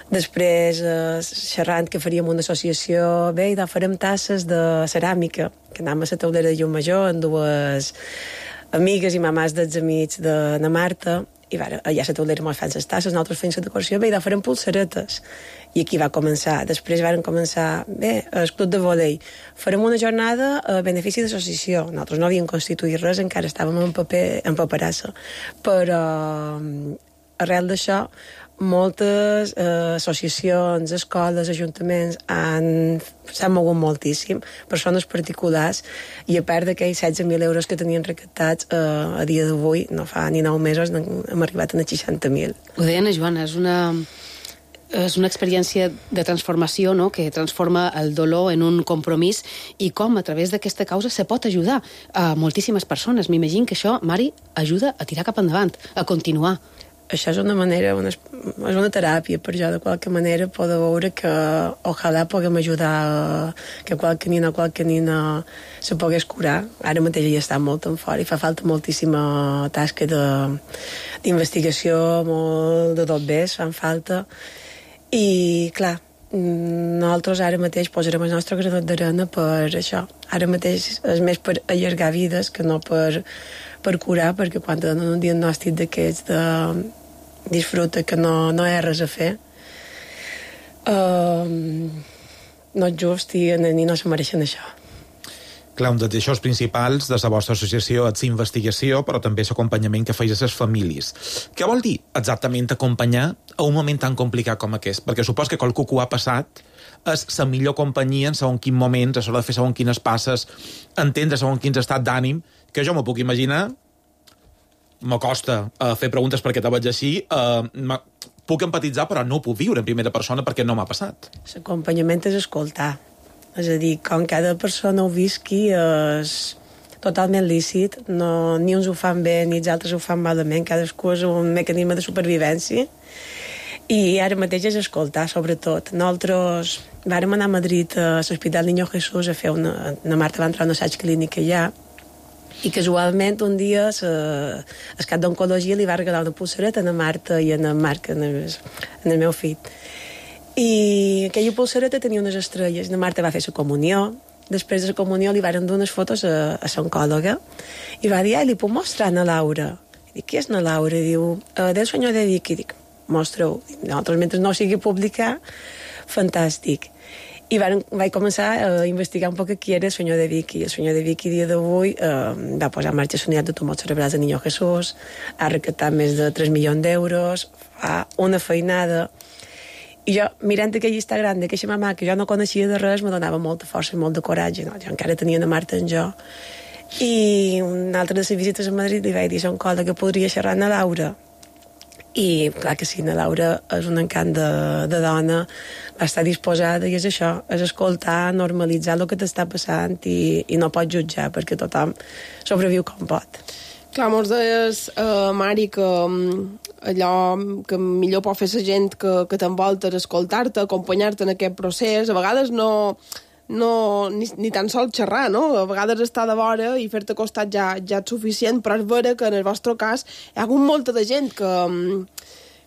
Després, eh, xerrant que faríem una associació, bé, i doncs farem tasses de ceràmica, que anàvem a la taulera de Llumajor amb dues amigues i mamàs dels amics de na Marta, i va, allà a la taulera ens fan les tasses, nosaltres fem la decoració, bé, i doncs farem pulseretes. I aquí va començar. Després varen començar, bé, el club de vòlei. Farem una jornada a benefici d'associació. Nosaltres no havíem constituït res, encara estàvem en paper, en paperassa. Però arrel d'això, moltes eh, associacions, escoles, ajuntaments s'han mogut moltíssim, persones particulars, i a part d'aquells setze mil euros que tenien recaptats eh, a dia d'avui, no fa ni nou mesos, hem arribat a seixanta mil. Ho deia Ana Joana, és una, és una experiència de transformació, no?, que transforma el dolor en un compromís, i com a través d'aquesta causa se pot ajudar a moltíssimes persones. M'imagino que això, Mari, ajuda a tirar cap endavant, a continuar. Això és una manera, una, és una teràpia per jo, de qualque manera, poder veure que ojalà puguem ajudar a, que qualque nina o qualque nina se pogués curar. Ara mateix ja està molt en fora i fa falta moltíssima tasca d'investigació, molt de tot bé, fan falta. I, clar, nosaltres ara mateix posarem el nostre granot d'arena per això. Ara mateix és més per allargar vides que no per, per curar, perquè quan te donen un diagnòstic d'aquests de disfruta que no, no hi ha res a fer, uh, no és just i ni no se mereixen això. Clar, un dels eixos principals de la vostra associació és investigació, però també l'acompanyament que feis a les famílies. Què vol dir exactament acompanyar a un moment tan complicat com aquest? Perquè supos que qualcú que ho ha passat és la millor companyia en segons quins moments, a l'hora de fer segons quines passes, entendre segons quins estats d'ànim, que jo m'ho puc imaginar, m'acosta uh, fer preguntes perquè te veig així, uh, puc empatitzar, però no ho puc viure en primera persona perquè no m'ha passat. L'acompanyament és escoltar. És a dir, com cada persona ho visqui és totalment lícit, no, ni uns ho fan bé ni els altres ho fan malament, cadascú és un mecanisme de supervivència, i ara mateix és escoltar, sobretot. Nosaltres vàrem anar a Madrid a l'Hospital Niño Jesús a fer una... Na Marta va entrar a un assaig clínic allà, i casualment un dia el cap d'oncologia li va regalar una pulsereta a na Marta i a na Marc, en el, en el meu fill. I aquella pulsereta tenia unes estrelles. Na Marta va fer la comunió. Després de la comunió li van dur unes fotos a, a l'oncòloga i va dir, ai, li puc mostrar a na Laura? I dic, qui és na Laura? I diu, del senyor de Vic. I dic, mostra-ho. Nosaltres, mentre no sigui publicar, fantàstic. I van, vaig començar a investigar un poc qui era el senyor de Vicky. El senyor de Vicky, dia d'avui, eh, va posar en marxa la unitat de tumors cerebrals de Niño Jesús, ha recaptat més de tres milions d'euros, fa una feinada, I jo, mirant aquell Instagram d'aquesta mamà que jo no coneixia de res, me donava molta força i molt de coratge, no? Jo encara tenia la Marta en jo. I una altra de les visites a Madrid li vaig dir a un col·le que podria xerrar amb la Laura. I clar que sí, la Laura és un encant de, de dona, va estar disposada, i és això, és escoltar, normalitzar el que t'està passant i, i no pots jutjar, perquè tothom sobreviu com pot. Clar, mos deies, uh, Mari, que um, allò que millor pot fer la gent que, que t'envolta és escoltar-te, acompanyar-te en aquest procés. A vegades no, no ni, ni tan sols xerrar, no? A vegades estar de vora i fer-te costat ja, ja és suficient, però és vera que en el vostre cas hi ha hagut molta de gent que... Um,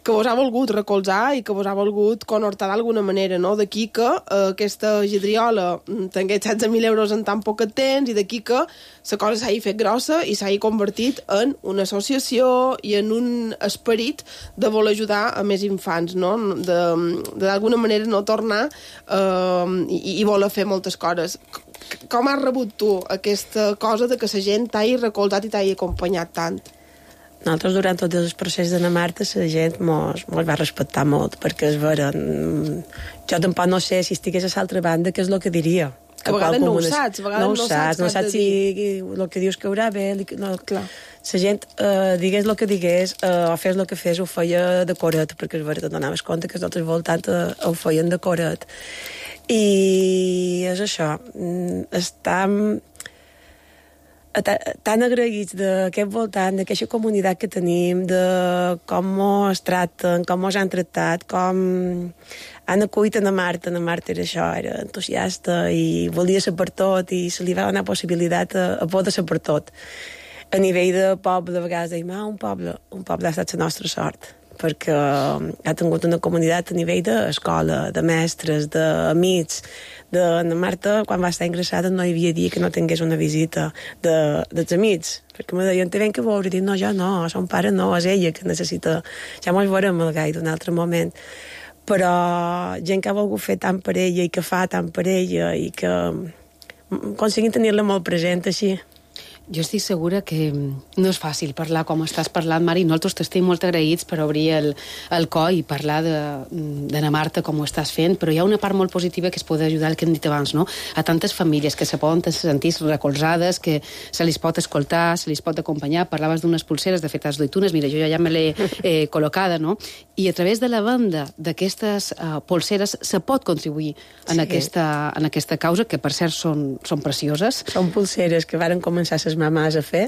que vos ha volgut recolzar i que vos ha volgut conhortar d'alguna manera, no? D'aquí que eh, aquesta Gidriola tingués setze mil euros en tan poc temps i d'aquí que la cosa s'hagi fet grossa i s'hagi convertit en una associació i en un esperit de voler ajudar a més infants, no? De, de d'alguna manera no tornar eh, i, i voler fer moltes coses. Com has rebut tu aquesta cosa de que la gent t'hagi recolzat i t'hagi acompanyat tant? Nosaltres, durant tot el procés de la Marta, la gent mos, mos va respectar molt, perquè és vera, jo tampoc no sé si estigués a l'altra banda què és el que diria. Que a vegades no ho saps, a vegades no ho saps, no saps si el que dius que haurà bé, no, clar. La gent, eh, digués el que digués, eh, o fes el que fes, ho feia de coret, perquè és vera, te donaves compte que els altres voltants eh, ho feien de coret. I és això, està tan agraïts d'aquest voltant, d'aquesta comunitat que tenim, de com ens tracten, com ens han tractat, com han acollit a la Marta. La Marta era això, era entusiasta i volia ser per tot i se li va donar possibilitat a, a poder ser per tot. A nivell de poble, a vegades deim, ah, un poble, un poble ha estat la nostra sort, perquè ha tingut una comunitat a nivell d'escola, de mestres, d'amics. De la Marta, quan va estar ingressada, no hi havia dia que no tingués una visita de, dels amics, perquè me deien, te ven que veure, i dic, no, jo no, son pare no, és ella que necessita, ja mos veurem el gai d'un altre moment. Però gent que ha volgut fer tant per ella i que fa tant per ella i que aconseguim tenir-la molt present així. Jo estic segura que no és fàcil parlar com estàs parlant, Mari. Nosaltres t'estem molt agraïts per obrir el, el cor i parlar de, de na Marta com ho estàs fent, però hi ha una part molt positiva que es pot ajudar, el que hem dit abans, no? A tantes famílies que se poden sentir recolzades, que se les pot escoltar, se les pot acompanyar. Parlaves d'unes pulseres, de fet, has duit unes, mira, jo ja me l'he eh, col·locada, no? I a través de la venda d'aquestes uh, pulseres se pot contribuir en, sí. aquesta, en aquesta causa, que per cert són, són precioses. Són pulseres que varen començar les mamàs a fer,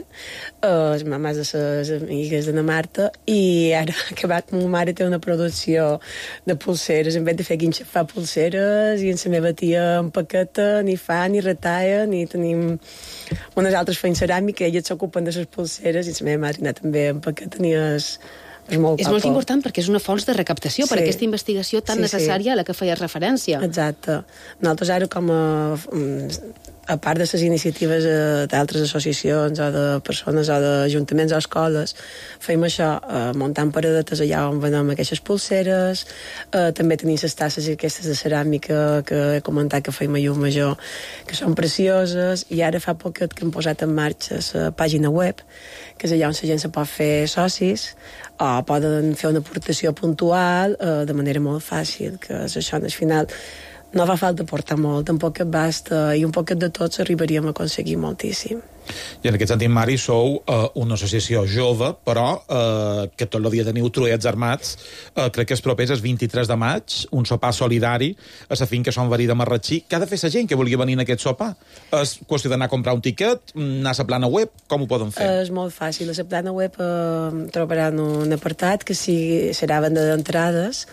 uh, les mamàs de les amigues de na Marta, i ara que va, ma mare té una producció de pulseres, en vez de fer guinxa fa pulseres, i en la meva tia empaqueta, ni fa, ni retalla, ni tenim unes altres feien ceràmica, elles s'ocupen de les pulseres, i la meva mare també empaqueta, ni és... És molt, és molt important perquè és una fons de recaptació sí. per aquesta investigació tan sí, necessària sí. a la que feies referència. Exacte. Nosaltres ara, com a, a part de les iniciatives d'altres associacions o de persones o d'ajuntaments o escoles, feim això, eh, muntant paradetes allà on venem aquestes pulseres, eh, també tenim les tasses aquestes de ceràmica que he comentat que feim a Llum Major, que són precioses, i ara fa poquet que hem posat en marxa la pàgina web, que és allà on la gent se pot fer socis, o poden fer una aportació puntual eh, de manera molt fàcil, que és això, al final no fa falta portar molt, un poquet basta, i un poquet de tots arribaríem a aconseguir moltíssim. I en aquest sentit, Mari, sou eh, una associació jove, però eh, que tot el dia teniu truets armats. Eh, crec que és proper el vint-i-tres de maig, un sopar solidari a la finca Son Verí de Marratxí. Què ha de fer la gent que vulgui venir en aquest sopar? És qüestió d'anar a comprar un tiquet, anar a la plana web? Com ho poden fer? És molt fàcil. A la plana web eh, trobaran un apartat que sigui, serà venda d'entrades,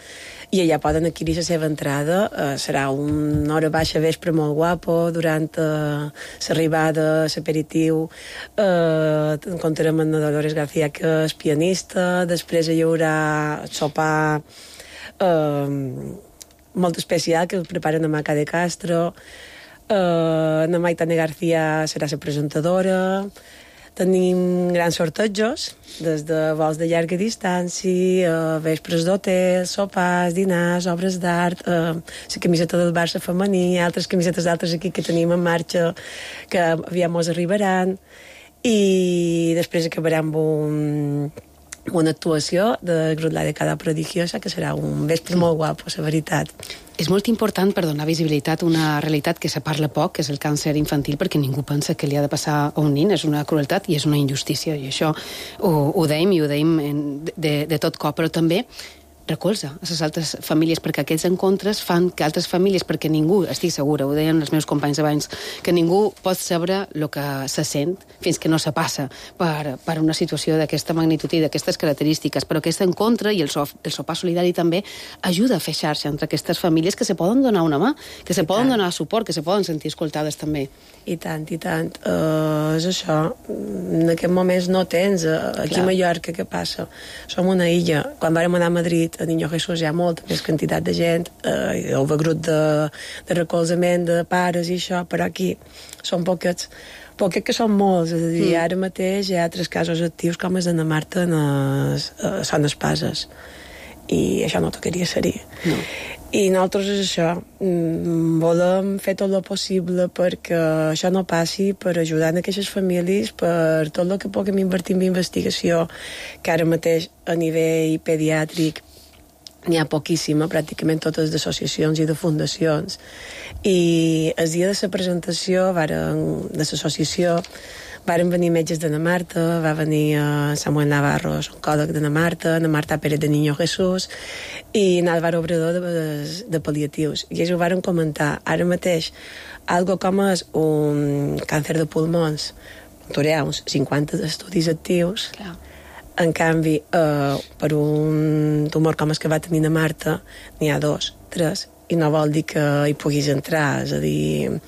i allà poden adquirir la seva entrada. Eh, serà una hora baixa vespre molt guapo, durant eh, l'arribada, l'aperitiu. Eh, encontrarem en Dolores García, que és pianista. Després hi haurà sopar eh, molt especial, que el preparen a Maca de Castro. Eh, na Maitane García serà la presentadora. Tenim grans sortejos, des de vols de llarga distància, eh, vespres d'hotel, sopars, dinars, obres d'art, eh, la camiseta del Barça femení, altres camisetes d'altres aquí que tenim en marxa, que aviam mos arribaran, i després acabarem amb un, una actuació de Grutla de Cada Prodigiosa, que serà un vespre molt guapo, la veritat. És molt important per donar visibilitat a una realitat que se parla poc, que és el càncer infantil, perquè ningú pensa que li ha de passar a un nin. És una crueltat i és una injustícia, i això ho, ho deim i ho deim de, de tot cop, però també recolza a les altres famílies, perquè aquests encontres fan que altres famílies, perquè ningú, estic segura, ho deien els meus companys abans, que ningú pot saber el que se sent fins que no se passa per, per una situació d'aquesta magnitud i d'aquestes característiques, però aquest encontre i el, so, el sopar solidari també ajuda a fer xarxa entre aquestes famílies que se poden donar una mà, que se poden donar suport, que se poden sentir escoltades també. I tant, i tant. Uh, és això. En aquest moments no tens. Uh, aquí Clar. A Mallorca, què passa? Som una illa. Quan vàrem anar a Madrid, a Niño Jesús hi ha molta més quantitat de gent, uh, hi ha un grup de, de recolzament de pares i això, però aquí són poquets. Poquets que són molts. És a dir, mm. ara mateix hi ha tres casos actius com els d'Anna Marta en es, uh, Son Espases. I això no tocaria ser-hi. No. I nosaltres és això, volem fer tot el possible perquè això no passi, per ajudar en aquestes famílies, per tot el que puguem invertir en investigació, que ara mateix a nivell pediàtric n'hi ha poquíssima, pràcticament totes d'associacions i de fundacions. I el dia de la presentació varen, de l'associació varen venir metges d'Anna Marta, va venir uh, Samuel Navarro, oncòleg d'Anna Marta, Anna Marta Pérez de Niño Jesús i Álvaro Obrador de, de, de pal·liatius. I ells ho varen comentar. Ara mateix, algo com és un càncer de pulmons, hi ha uns cinquanta estudis actius. Clar. En canvi, uh, per un tumor com el que va tenir Anna Marta, n'hi ha dos, tres, i no vol dir que hi puguis entrar, és a dir,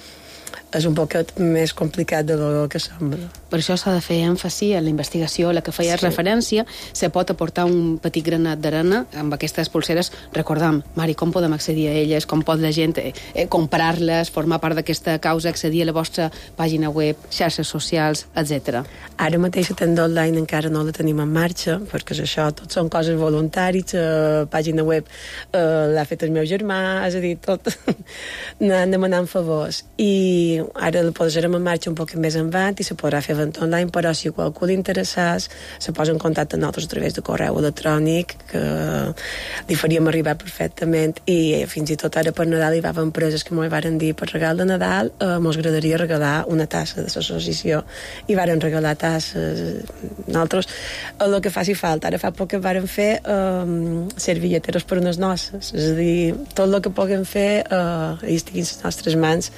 és un poquet més complicat del que sembla. Per això s'ha de fer èmfasi en la investigació a la que feies sí. referència. Se pot aportar un petit granat d'arena amb aquestes pulseres. Recordam, Mari, com podem accedir a elles? Com pot la gent eh, comprar-les, formar part d'aquesta causa, accedir a la vostra pàgina web, xarxes socials, etcètera. Ara mateix la tenda online encara no la tenim en marxa, perquè és això, tot són coses voluntaris, la pàgina web eh, l'ha fet el meu germà, és a dir, tot anant demanant favors. I ara la posarem en marxa un poc més endavant i se podrà fer event online, però si qualcú li interessés se posa en contacte amb nosaltres a través de correu electrònic, que li faríem arribar perfectament. I fins i tot ara per Nadal hi va haver empreses que m'ho varen dir, per regal de Nadal eh, mos agradaria regalar una tassa de l'associació, i varen regalar tasses. Nosaltres el que faci falta. Ara fa poc que varen fer eh, servilleteros per unes noces, és a dir, tot el que puguem fer eh, i estiguin les nostres mans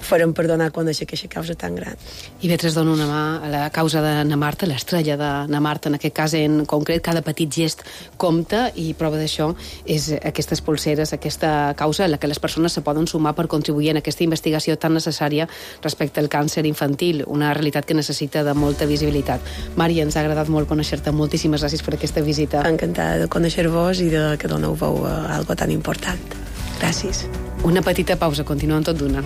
farem per donar a conèixer aquesta causa tan gran. I Vetres dona una mà a la causa d'Anna Marta, l'estrella d'Anna Marta, en aquest cas en concret. Cada petit gest compta, i prova d'això és aquestes pulseres, aquesta causa en la que les persones se poden sumar per contribuir en aquesta investigació tan necessària respecte al càncer infantil, una realitat que necessita de molta visibilitat. Mari, ens ha agradat molt conèixer-te. Moltíssimes gràcies per aquesta visita. Encantada de conèixer-vos i de que doneu veu a algo tan important. Gràcies. Una petita pausa, continuem tot d'una.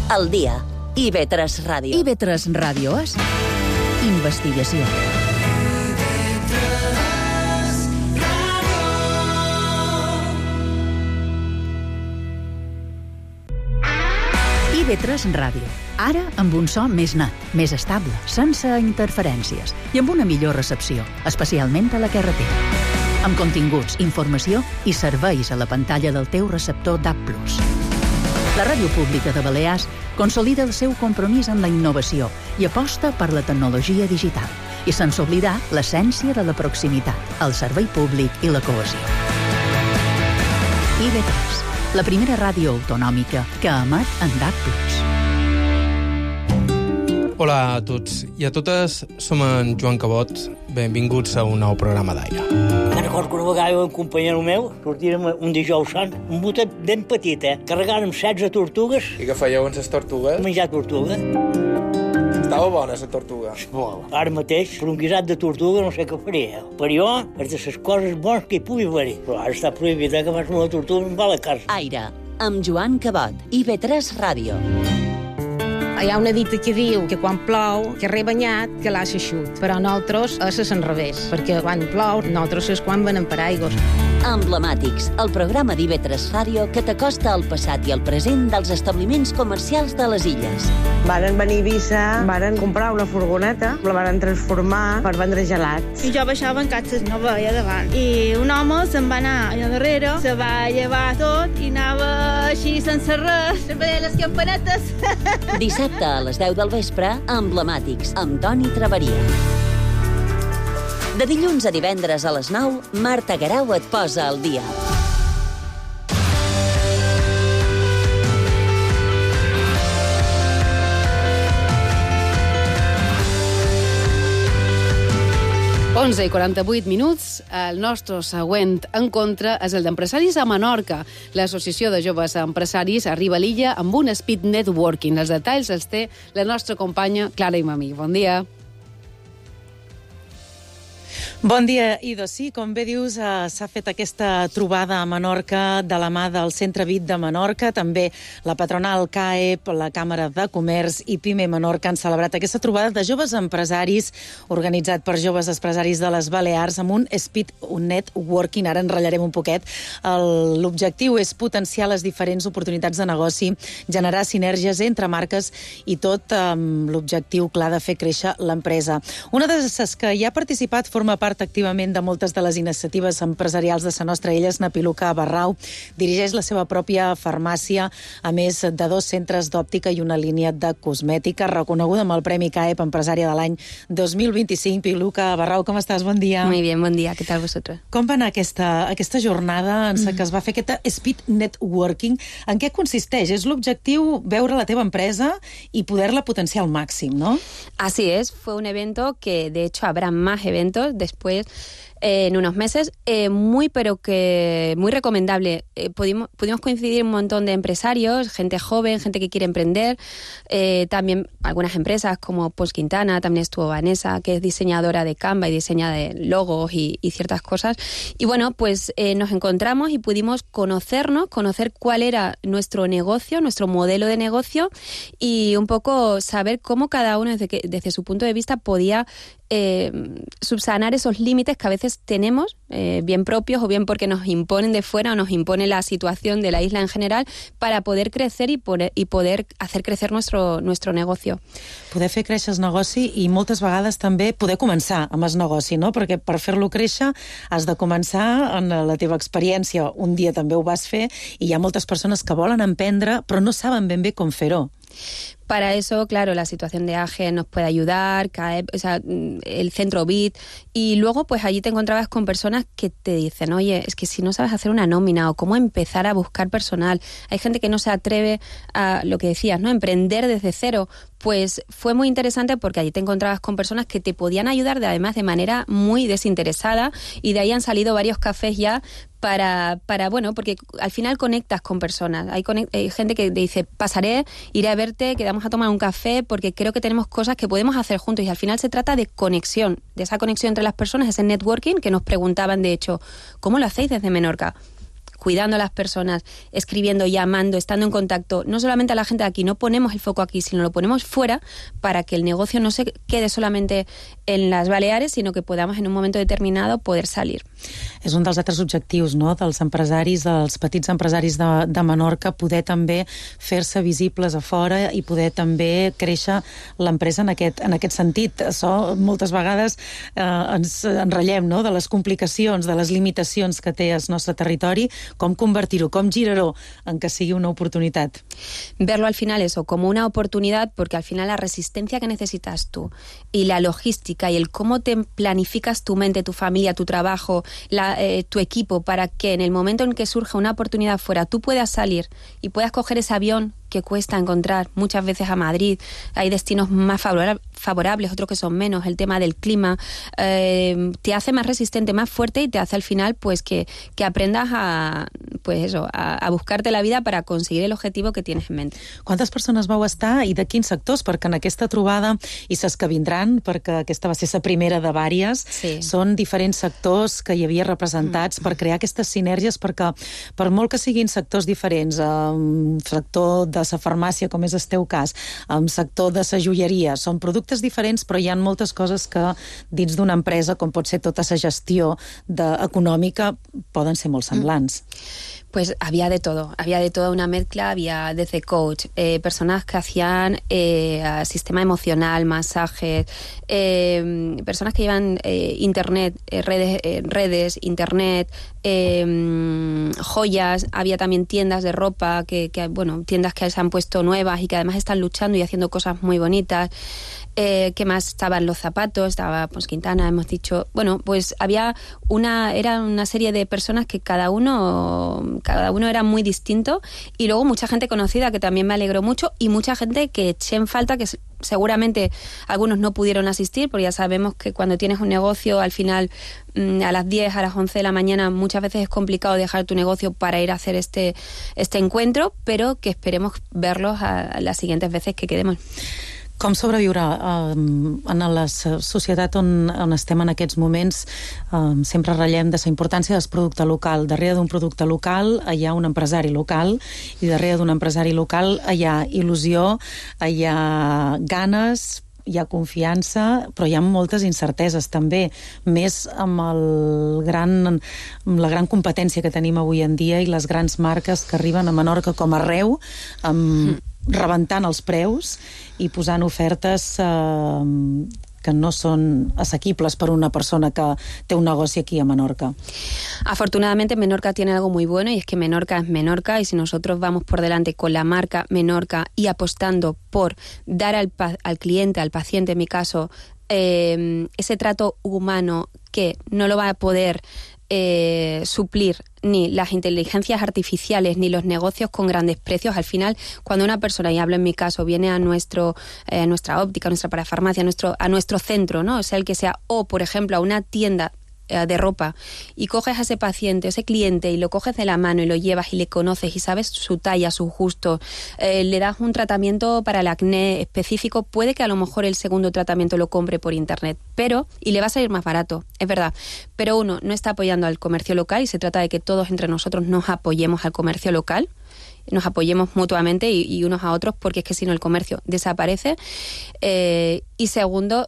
Al dia. I ve tres Ràdio. I ve tres Ràdio és investigació. I ve tres Ràdio. Ara amb un so més net, més estable, sense interferències i amb una millor recepció, especialment a la carretera. Amb continguts, informació i serveis a la pantalla del teu receptor D A B plus. La Ràdio Pública de Balears consolida el seu compromís amb la innovació i aposta per la tecnologia digital, i sense oblidar l'essència de la proximitat, el servei públic i la cohesió. I ve tres, la primera ràdio autonòmica que emet en D A B plus. Hola a tots i a totes, som en Joan Cabot. Benvinguts a un nou programa d'aire. Me'n recordo que una vegada un companyero meu sortirem un dijous sant, un botet ben petit, eh? Carregàrem setze tortugues. I què fèieu amb les tortugues? Menjar tortuga. Estava bona, la tortuga. Molt. Ara mateix, per un guisat de tortuga no sé què faria. Per jo, és de les coses bones que hi pugui haver-hi. Però ara està prohibit, eh, que fas una tortuga amb la carn. Aire, amb Joan Cabot. I ve tres Ràdio. Hi ha una dita que diu que quan plou, que rebanyat, que l'ha xut. Però nosaltres és l'enrevés, perquè quan plou, nosaltres és quan venem per aigües. Emblemàtics, el programa d'I V tres Ràdio que t'acosta al passat i al present dels establiments comercials de les illes. Varen venir a Eivissa, varen comprar una furgoneta, la varen transformar per vendre gelats. I jo baixava en catxes, no veia davant. I un home se'n va anar allà darrere, se va llevar tot i anava així sense res, veia les campanetes. Dissabte a les deu del vespre, Emblemàtics, amb Toni Traveria. De dilluns a divendres a les nou, Marta Guerau et posa al dia. onze i quaranta-vuit minuts. El nostre següent encontre és el d'empresaris a Menorca. L'Associació de Joves Empresaris arriba a l'illa amb un speed networking. Els detalls els té la nostra companya Clara Imamí. Bon dia. Bon dia, Ido. Sí, com bé dius, eh, s'ha fet aquesta trobada a Menorca de la mà del Centre V I T de Menorca. També la patronal C A E P, la Càmera de Comerç i Pime Menorca han celebrat aquesta trobada de joves empresaris organitzat per joves empresaris de les Balears amb un speed networking. Ara enratllarem un poquet. El- L'objectiu és potenciar les diferents oportunitats de negoci, generar sinergies entre marques i tot amb l'objectiu clar de fer créixer l'empresa. Una de les que hi ha participat forma part activament de moltes de les iniciatives empresarials de la nostra illa és Napiluca Barrau. Dirigeix la seva pròpia farmàcia, a més de dos centres d'òptica i una línia de cosmètica, reconeguda amb el Premi C A E P Empresària de l'any dos mil vint-i-cinc. Piluca Barrau, com estàs? Bon dia. Muy bien, buen día. ¿Qué tal vosotros? Com va anar aquesta, aquesta jornada en què es va fer aquest speed networking? En què consisteix? És l'objectiu veure la teva empresa i poder-la potenciar al màxim, no? Así es, fue un evento que de hecho habrá más eventos después eh, en unos meses, eh, muy pero que muy recomendable. Eh, pudimos, pudimos coincidir un montón de empresarios, gente joven, gente que quiere emprender, eh, también algunas empresas como Pols Quintana, también estuvo Vanessa, que es diseñadora de Canva y diseña de logos y, y ciertas cosas. Y bueno, pues eh, nos encontramos y pudimos conocernos, conocer cuál era nuestro negocio, nuestro modelo de negocio y un poco saber cómo cada uno desde, que, desde su punto de vista podía Eh, subsanar esos límites que a veces tenemos, eh, bien propios o bien porque nos imponen de fuera o nos impone la situación de la isla en general, para poder crecer y poder, y poder hacer crecer nuestro, nuestro negocio. Poder fer créixer el negoci i moltes vegades també poder començar amb el negoci, no? Perquè per fer-lo créixer has de començar en la teva experiència. Un dia també ho vas fer i hi ha moltes persones que volen emprendre però no saben ben bé com fer-ho. Para eso, claro, la situación de A G E nos puede ayudar, C A E P, o sea, el centro V I T, y luego pues allí te encontrabas con personas que te dicen, oye, es que si no sabes hacer una nómina o cómo empezar a buscar personal, hay gente que no se atreve a, lo que decías, ¿no?, emprender desde cero. Pues fue muy interesante porque allí te encontrabas con personas que te podían ayudar, de, además de manera muy desinteresada, y de ahí han salido varios cafés ya para, para bueno, porque al final conectas con personas. Hay, conect- hay gente que te dice, pasaré, iré a verte, quedamos a tomar un café porque creo que tenemos cosas que podemos hacer juntos, y al final se trata de conexión, de esa conexión entre las personas, ese networking que nos preguntaban, de hecho, ¿cómo lo hacéis desde Menorca? Cuidando a las personas, escribiendo, llamando, estando en contacto, no solamente a la gente de aquí, no ponemos el foco aquí, sino lo ponemos fuera para que el negocio no se quede solamente en las Baleares, sino que podamos en un momento determinado poder salir. És un dels altres objectius, no?, dels empresaris, dels petits empresaris de, de Menorca, poder també fer-se visibles a fora i poder també créixer l'empresa en aquest, en aquest sentit. Això moltes vegades eh, ens enrotllem, no?, de les complicacions, de les limitacions que té el nostre territori, com convertir-ho, com girar-ho en que sigui una oportunitat. Verlo al final eso, como una oportunidad, porque al final la resistencia que necesitas tú y la logística y el cómo te planificas tu mente, tu familia, tu trabajo, la, eh, tu equipo, para que en el momento en que surja una oportunidad fuera tú puedas salir y puedas coger ese avión que cuesta encontrar muchas veces a Madrid. Hay destinos más favorables, otros que son menos. El tema del clima eh, te hace más resistente, más fuerte, y te hace al final pues que, que aprendas a, pues eso, a, a buscarte la vida para conseguir el objetivo que tienes en mente. Quantes persones vau estar i de quins sectors? Perquè en aquesta trobada, i ses que vindran, perquè aquesta va ser la primera de vàries, sí. Són diferents sectors que hi havia representats mm. per crear aquestes sinergies, perquè per molt que siguin sectors diferents, eh, sector de de la farmàcia, com és el teu cas, en el sector de la joieria, són productes diferents, però hi ha moltes coses que dins d'una empresa, com pot ser tota la gestió de, econòmica, poden ser molt semblants. Mm. Pues había de todo, había de toda una mezcla, había desde coach, eh, personas que hacían eh, sistema emocional, masajes, eh, personas que llevan eh, internet, eh, redes, eh, redes, internet, eh, joyas, había también tiendas de ropa, que, que bueno, tiendas que se han puesto nuevas y que además están luchando y haciendo cosas muy bonitas. Eh, ¿Qué más? Estaban los zapatos, estaba pues Quintana, hemos dicho. Bueno, pues había una, era una serie de personas que cada uno, cada uno era muy distinto, y luego mucha gente conocida que también me alegró mucho, y mucha gente que eché en falta, que seguramente algunos no pudieron asistir, porque ya sabemos que cuando tienes un negocio, al final a las diez, a las once de la mañana, muchas veces es complicado dejar tu negocio para ir a hacer este, este encuentro, pero que esperemos verlos a, a las siguientes veces que quedemos. Com sobreviure eh, en la societat on, on estem en aquests moments? Eh, sempre ratllem de la importància del producte local. Darrere d'un producte local hi ha un empresari local, i darrere d'un empresari local hi ha il·lusió, hi ha ganes, hi ha confiança, però hi ha moltes incerteses també, més amb, el gran, amb la gran competència que tenim avui en dia i les grans marques que arriben a Menorca com arreu, amb rebentant els preus i posant ofertes eh, que no son asequibles para una persona que tiene un negocio aquí a Menorca. Afortunadamente Menorca tiene algo muy bueno, y es que Menorca es Menorca, y si nosotros vamos por delante con la marca Menorca y apostando por dar al, al cliente, al paciente en mi caso, eh, ese trato humano que no lo va a poder Eh, suplir ni las inteligencias artificiales ni los negocios con grandes precios. Al final, cuando una persona, y hablo en mi caso, viene a nuestro eh, a nuestra óptica, a nuestra parafarmacia, a nuestro, a nuestro centro, ¿no? O sea, el que sea, o por ejemplo a una tienda de ropa, y coges a ese paciente, ese cliente, y lo coges de la mano y lo llevas y le conoces y sabes su talla, su gusto, eh, le das un tratamiento para el acné específico, puede que a lo mejor el segundo tratamiento lo compre por internet, pero, y le va a salir más barato, es verdad, pero uno no está apoyando al comercio local, y se trata de que todos entre nosotros nos apoyemos al comercio local, nos apoyemos mutuamente y, y unos a otros, porque es que si no el comercio desaparece. Eh, y segundo,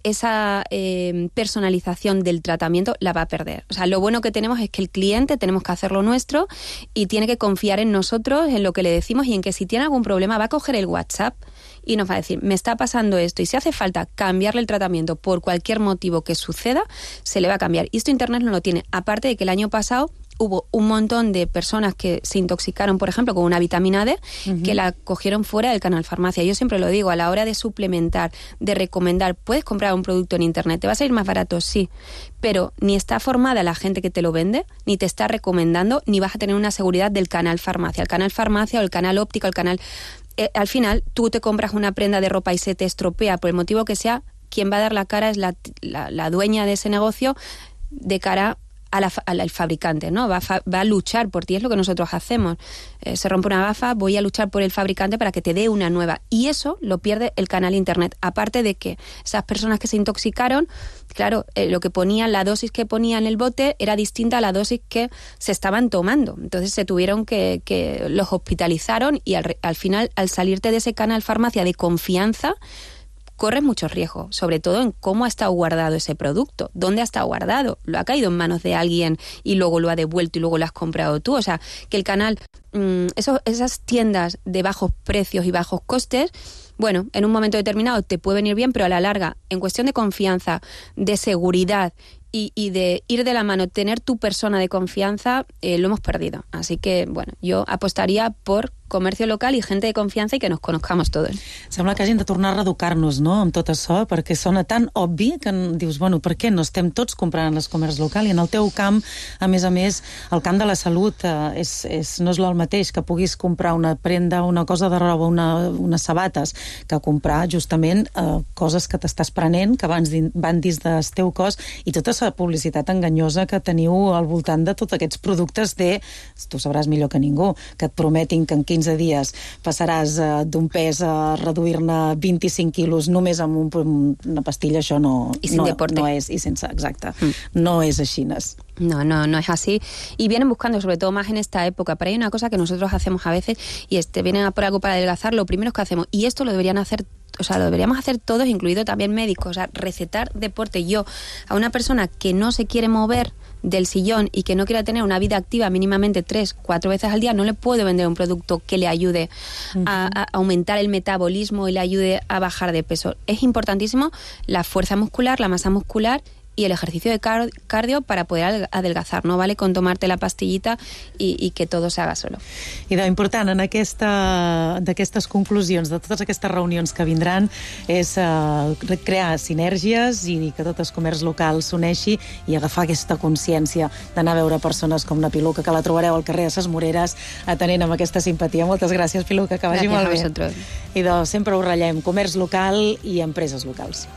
esa eh, personalización del tratamiento la va a perder. O sea, lo bueno que tenemos es que el cliente tenemos que hacer lo nuestro y tiene que confiar en nosotros, en lo que le decimos, y en que si tiene algún problema va a coger el WhatsApp y nos va a decir, me está pasando esto, y si hace falta cambiarle el tratamiento por cualquier motivo que suceda, se le va a cambiar. Y esto Internet no lo tiene. Aparte de que el año pasado hubo un montón de personas que se intoxicaron, por ejemplo, con una vitamina D, uh-huh, que la cogieron fuera del canal farmacia. Yo siempre lo digo, a la hora de suplementar, de recomendar, puedes comprar un producto en internet, ¿te va a salir más barato? Sí, pero ni está formada la gente que te lo vende, ni te está recomendando, ni vas a tener una seguridad del canal farmacia. El canal farmacia o el canal óptico, el canal... Eh, al final, tú te compras una prenda de ropa y se te estropea, por el motivo que sea, quien va a dar la cara es la, la, la dueña de ese negocio, de cara A la, al fabricante, ¿no? Va a, fa, va a luchar por ti, es lo que nosotros hacemos. Eh, se rompe una gafa, voy a luchar por el fabricante para que te dé una nueva. Y eso lo pierde el canal internet. Aparte de que esas personas que se intoxicaron, claro, eh, lo que ponían, la dosis que ponían en el bote era distinta a la dosis que se estaban tomando. Entonces se tuvieron que, que los hospitalizaron, y al, al final, al salirte de ese canal farmacia de confianza, corres muchos riesgos, sobre todo en cómo ha estado guardado ese producto, dónde ha estado guardado, lo ha caído en manos de alguien y luego lo ha devuelto y luego lo has comprado tú. O sea, que el canal, mmm, esos, esas tiendas de bajos precios y bajos costes, bueno, en un momento determinado te puede venir bien, pero a la larga, en cuestión de confianza, de seguridad y, y de ir de la mano, tener tu persona de confianza, eh, lo hemos perdido. Así que, bueno, yo apostaría por comercio local i gent de confiança i que nos conozcamos todos. Sembla que hagin de tornar a reeducar-nos, no?, amb tot això, perquè sona tan obvi que dius, bueno, per què no estem tots comprant en el comerç local? I en el teu camp, a més a més, el camp de la salut eh, és, és, no és el mateix que puguis comprar una prenda, una cosa de roba, una, unes sabates, que comprar justament eh, coses que t'estàs prenent, que van, van dins del teu cos, i tota la publicitat enganyosa que teniu al voltant de tots aquests productes de, tu sabràs millor que ningú, que et prometin que en quinze quinze dies passaràs uh, d'un pes a reduir-ne vint-i-cinc quilos només amb un, una pastilla, això no, no, no és, i sense, exacte, mm. no és així. No, no, no es así. Y vienen buscando, sobre todo más en esta época. Pero hay una cosa que nosotros hacemos a veces y este vienen a por algo para adelgazar, lo primero que hacemos, y esto lo deberían hacer, o sea, lo deberíamos hacer todos, incluido también médicos, o sea, recetar deporte. Yo, a una persona que no se quiere mover del sillón y que no quiera tener una vida activa mínimamente tres, cuatro veces al día, no le puedo vender un producto que le ayude uh-huh. a, a aumentar el metabolismo y le ayude a bajar de peso. Es importantísimo la fuerza muscular, la masa muscular y el ejercicio de cardio para poder adelgazar. No vale con tomarte la pastillita i, i que todo se haga solo. I d'important en aquesta, d'aquestes conclusions, de totes aquestes reunions que vindran, és uh, crear sinergies i que tot el comerç local s'uneixi i agafar aquesta consciència d'anar a veure persones com la Piluca, que la trobareu al carrer de Ses Moreres, atenent amb aquesta simpatia. Moltes gràcies, Piluca, que vagi molt bé. I de, sempre ho ratllem, comerç local i empreses locals.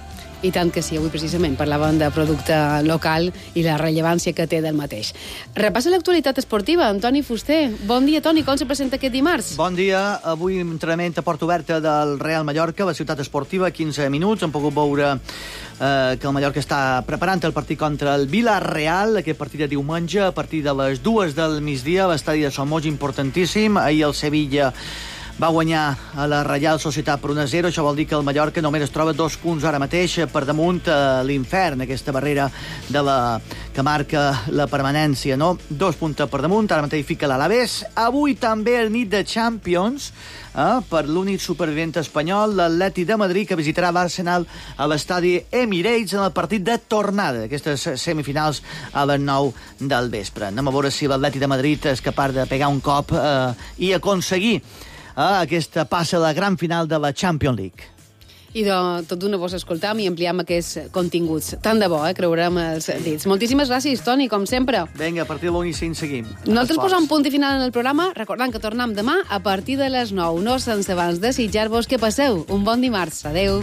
I tant que sí, avui precisament parlàvem de producte local i la rellevància que té del mateix. Repassa l'actualitat esportiva, Toni Fuster. Bon dia, Toni, com se presenta aquest dimarts? Bon dia, avui entrenament a porta oberta del Real Mallorca, la ciutat esportiva, quinze minuts. Hem pogut veure eh, que el Mallorca està preparant el partit contra el Villarreal, aquest partit de diumenge, a partir de les dues del migdia, l'estadi de Somos, importantíssim. Ahir el Sevilla va guanyar a la Reial Societat per un a zero. Això vol dir que el Mallorca només es troba dos punts ara mateix per damunt a l'infern, aquesta barrera de la que marca la permanència, no? Dos punts per damunt, ara mateix fica l'Alavés. Avui també el nit de Champions, eh, per l'únic supervivent espanyol, l'Atleti de Madrid, que visitarà l'Arsenal a l'estadi Emirates en el partit de tornada d'aquestes semifinals a les nou del vespre. Anem a veure si l'Atleti de Madrid és capaç de pegar un cop eh, i aconseguir a aquesta passa a la gran final de la Champions League. I de tot d'una vos escoltam i ampliam aquests continguts. Tant de bo, eh? Creurem els dits. Moltíssimes gràcies, Toni, com sempre. Vinga, a partir de l'u i cinc seguim. Nosaltres posam punt i final en el programa, recordant que tornem demà a partir de les nou. No sense abans desitjar-vos que passeu un bon dimarts. Adeu.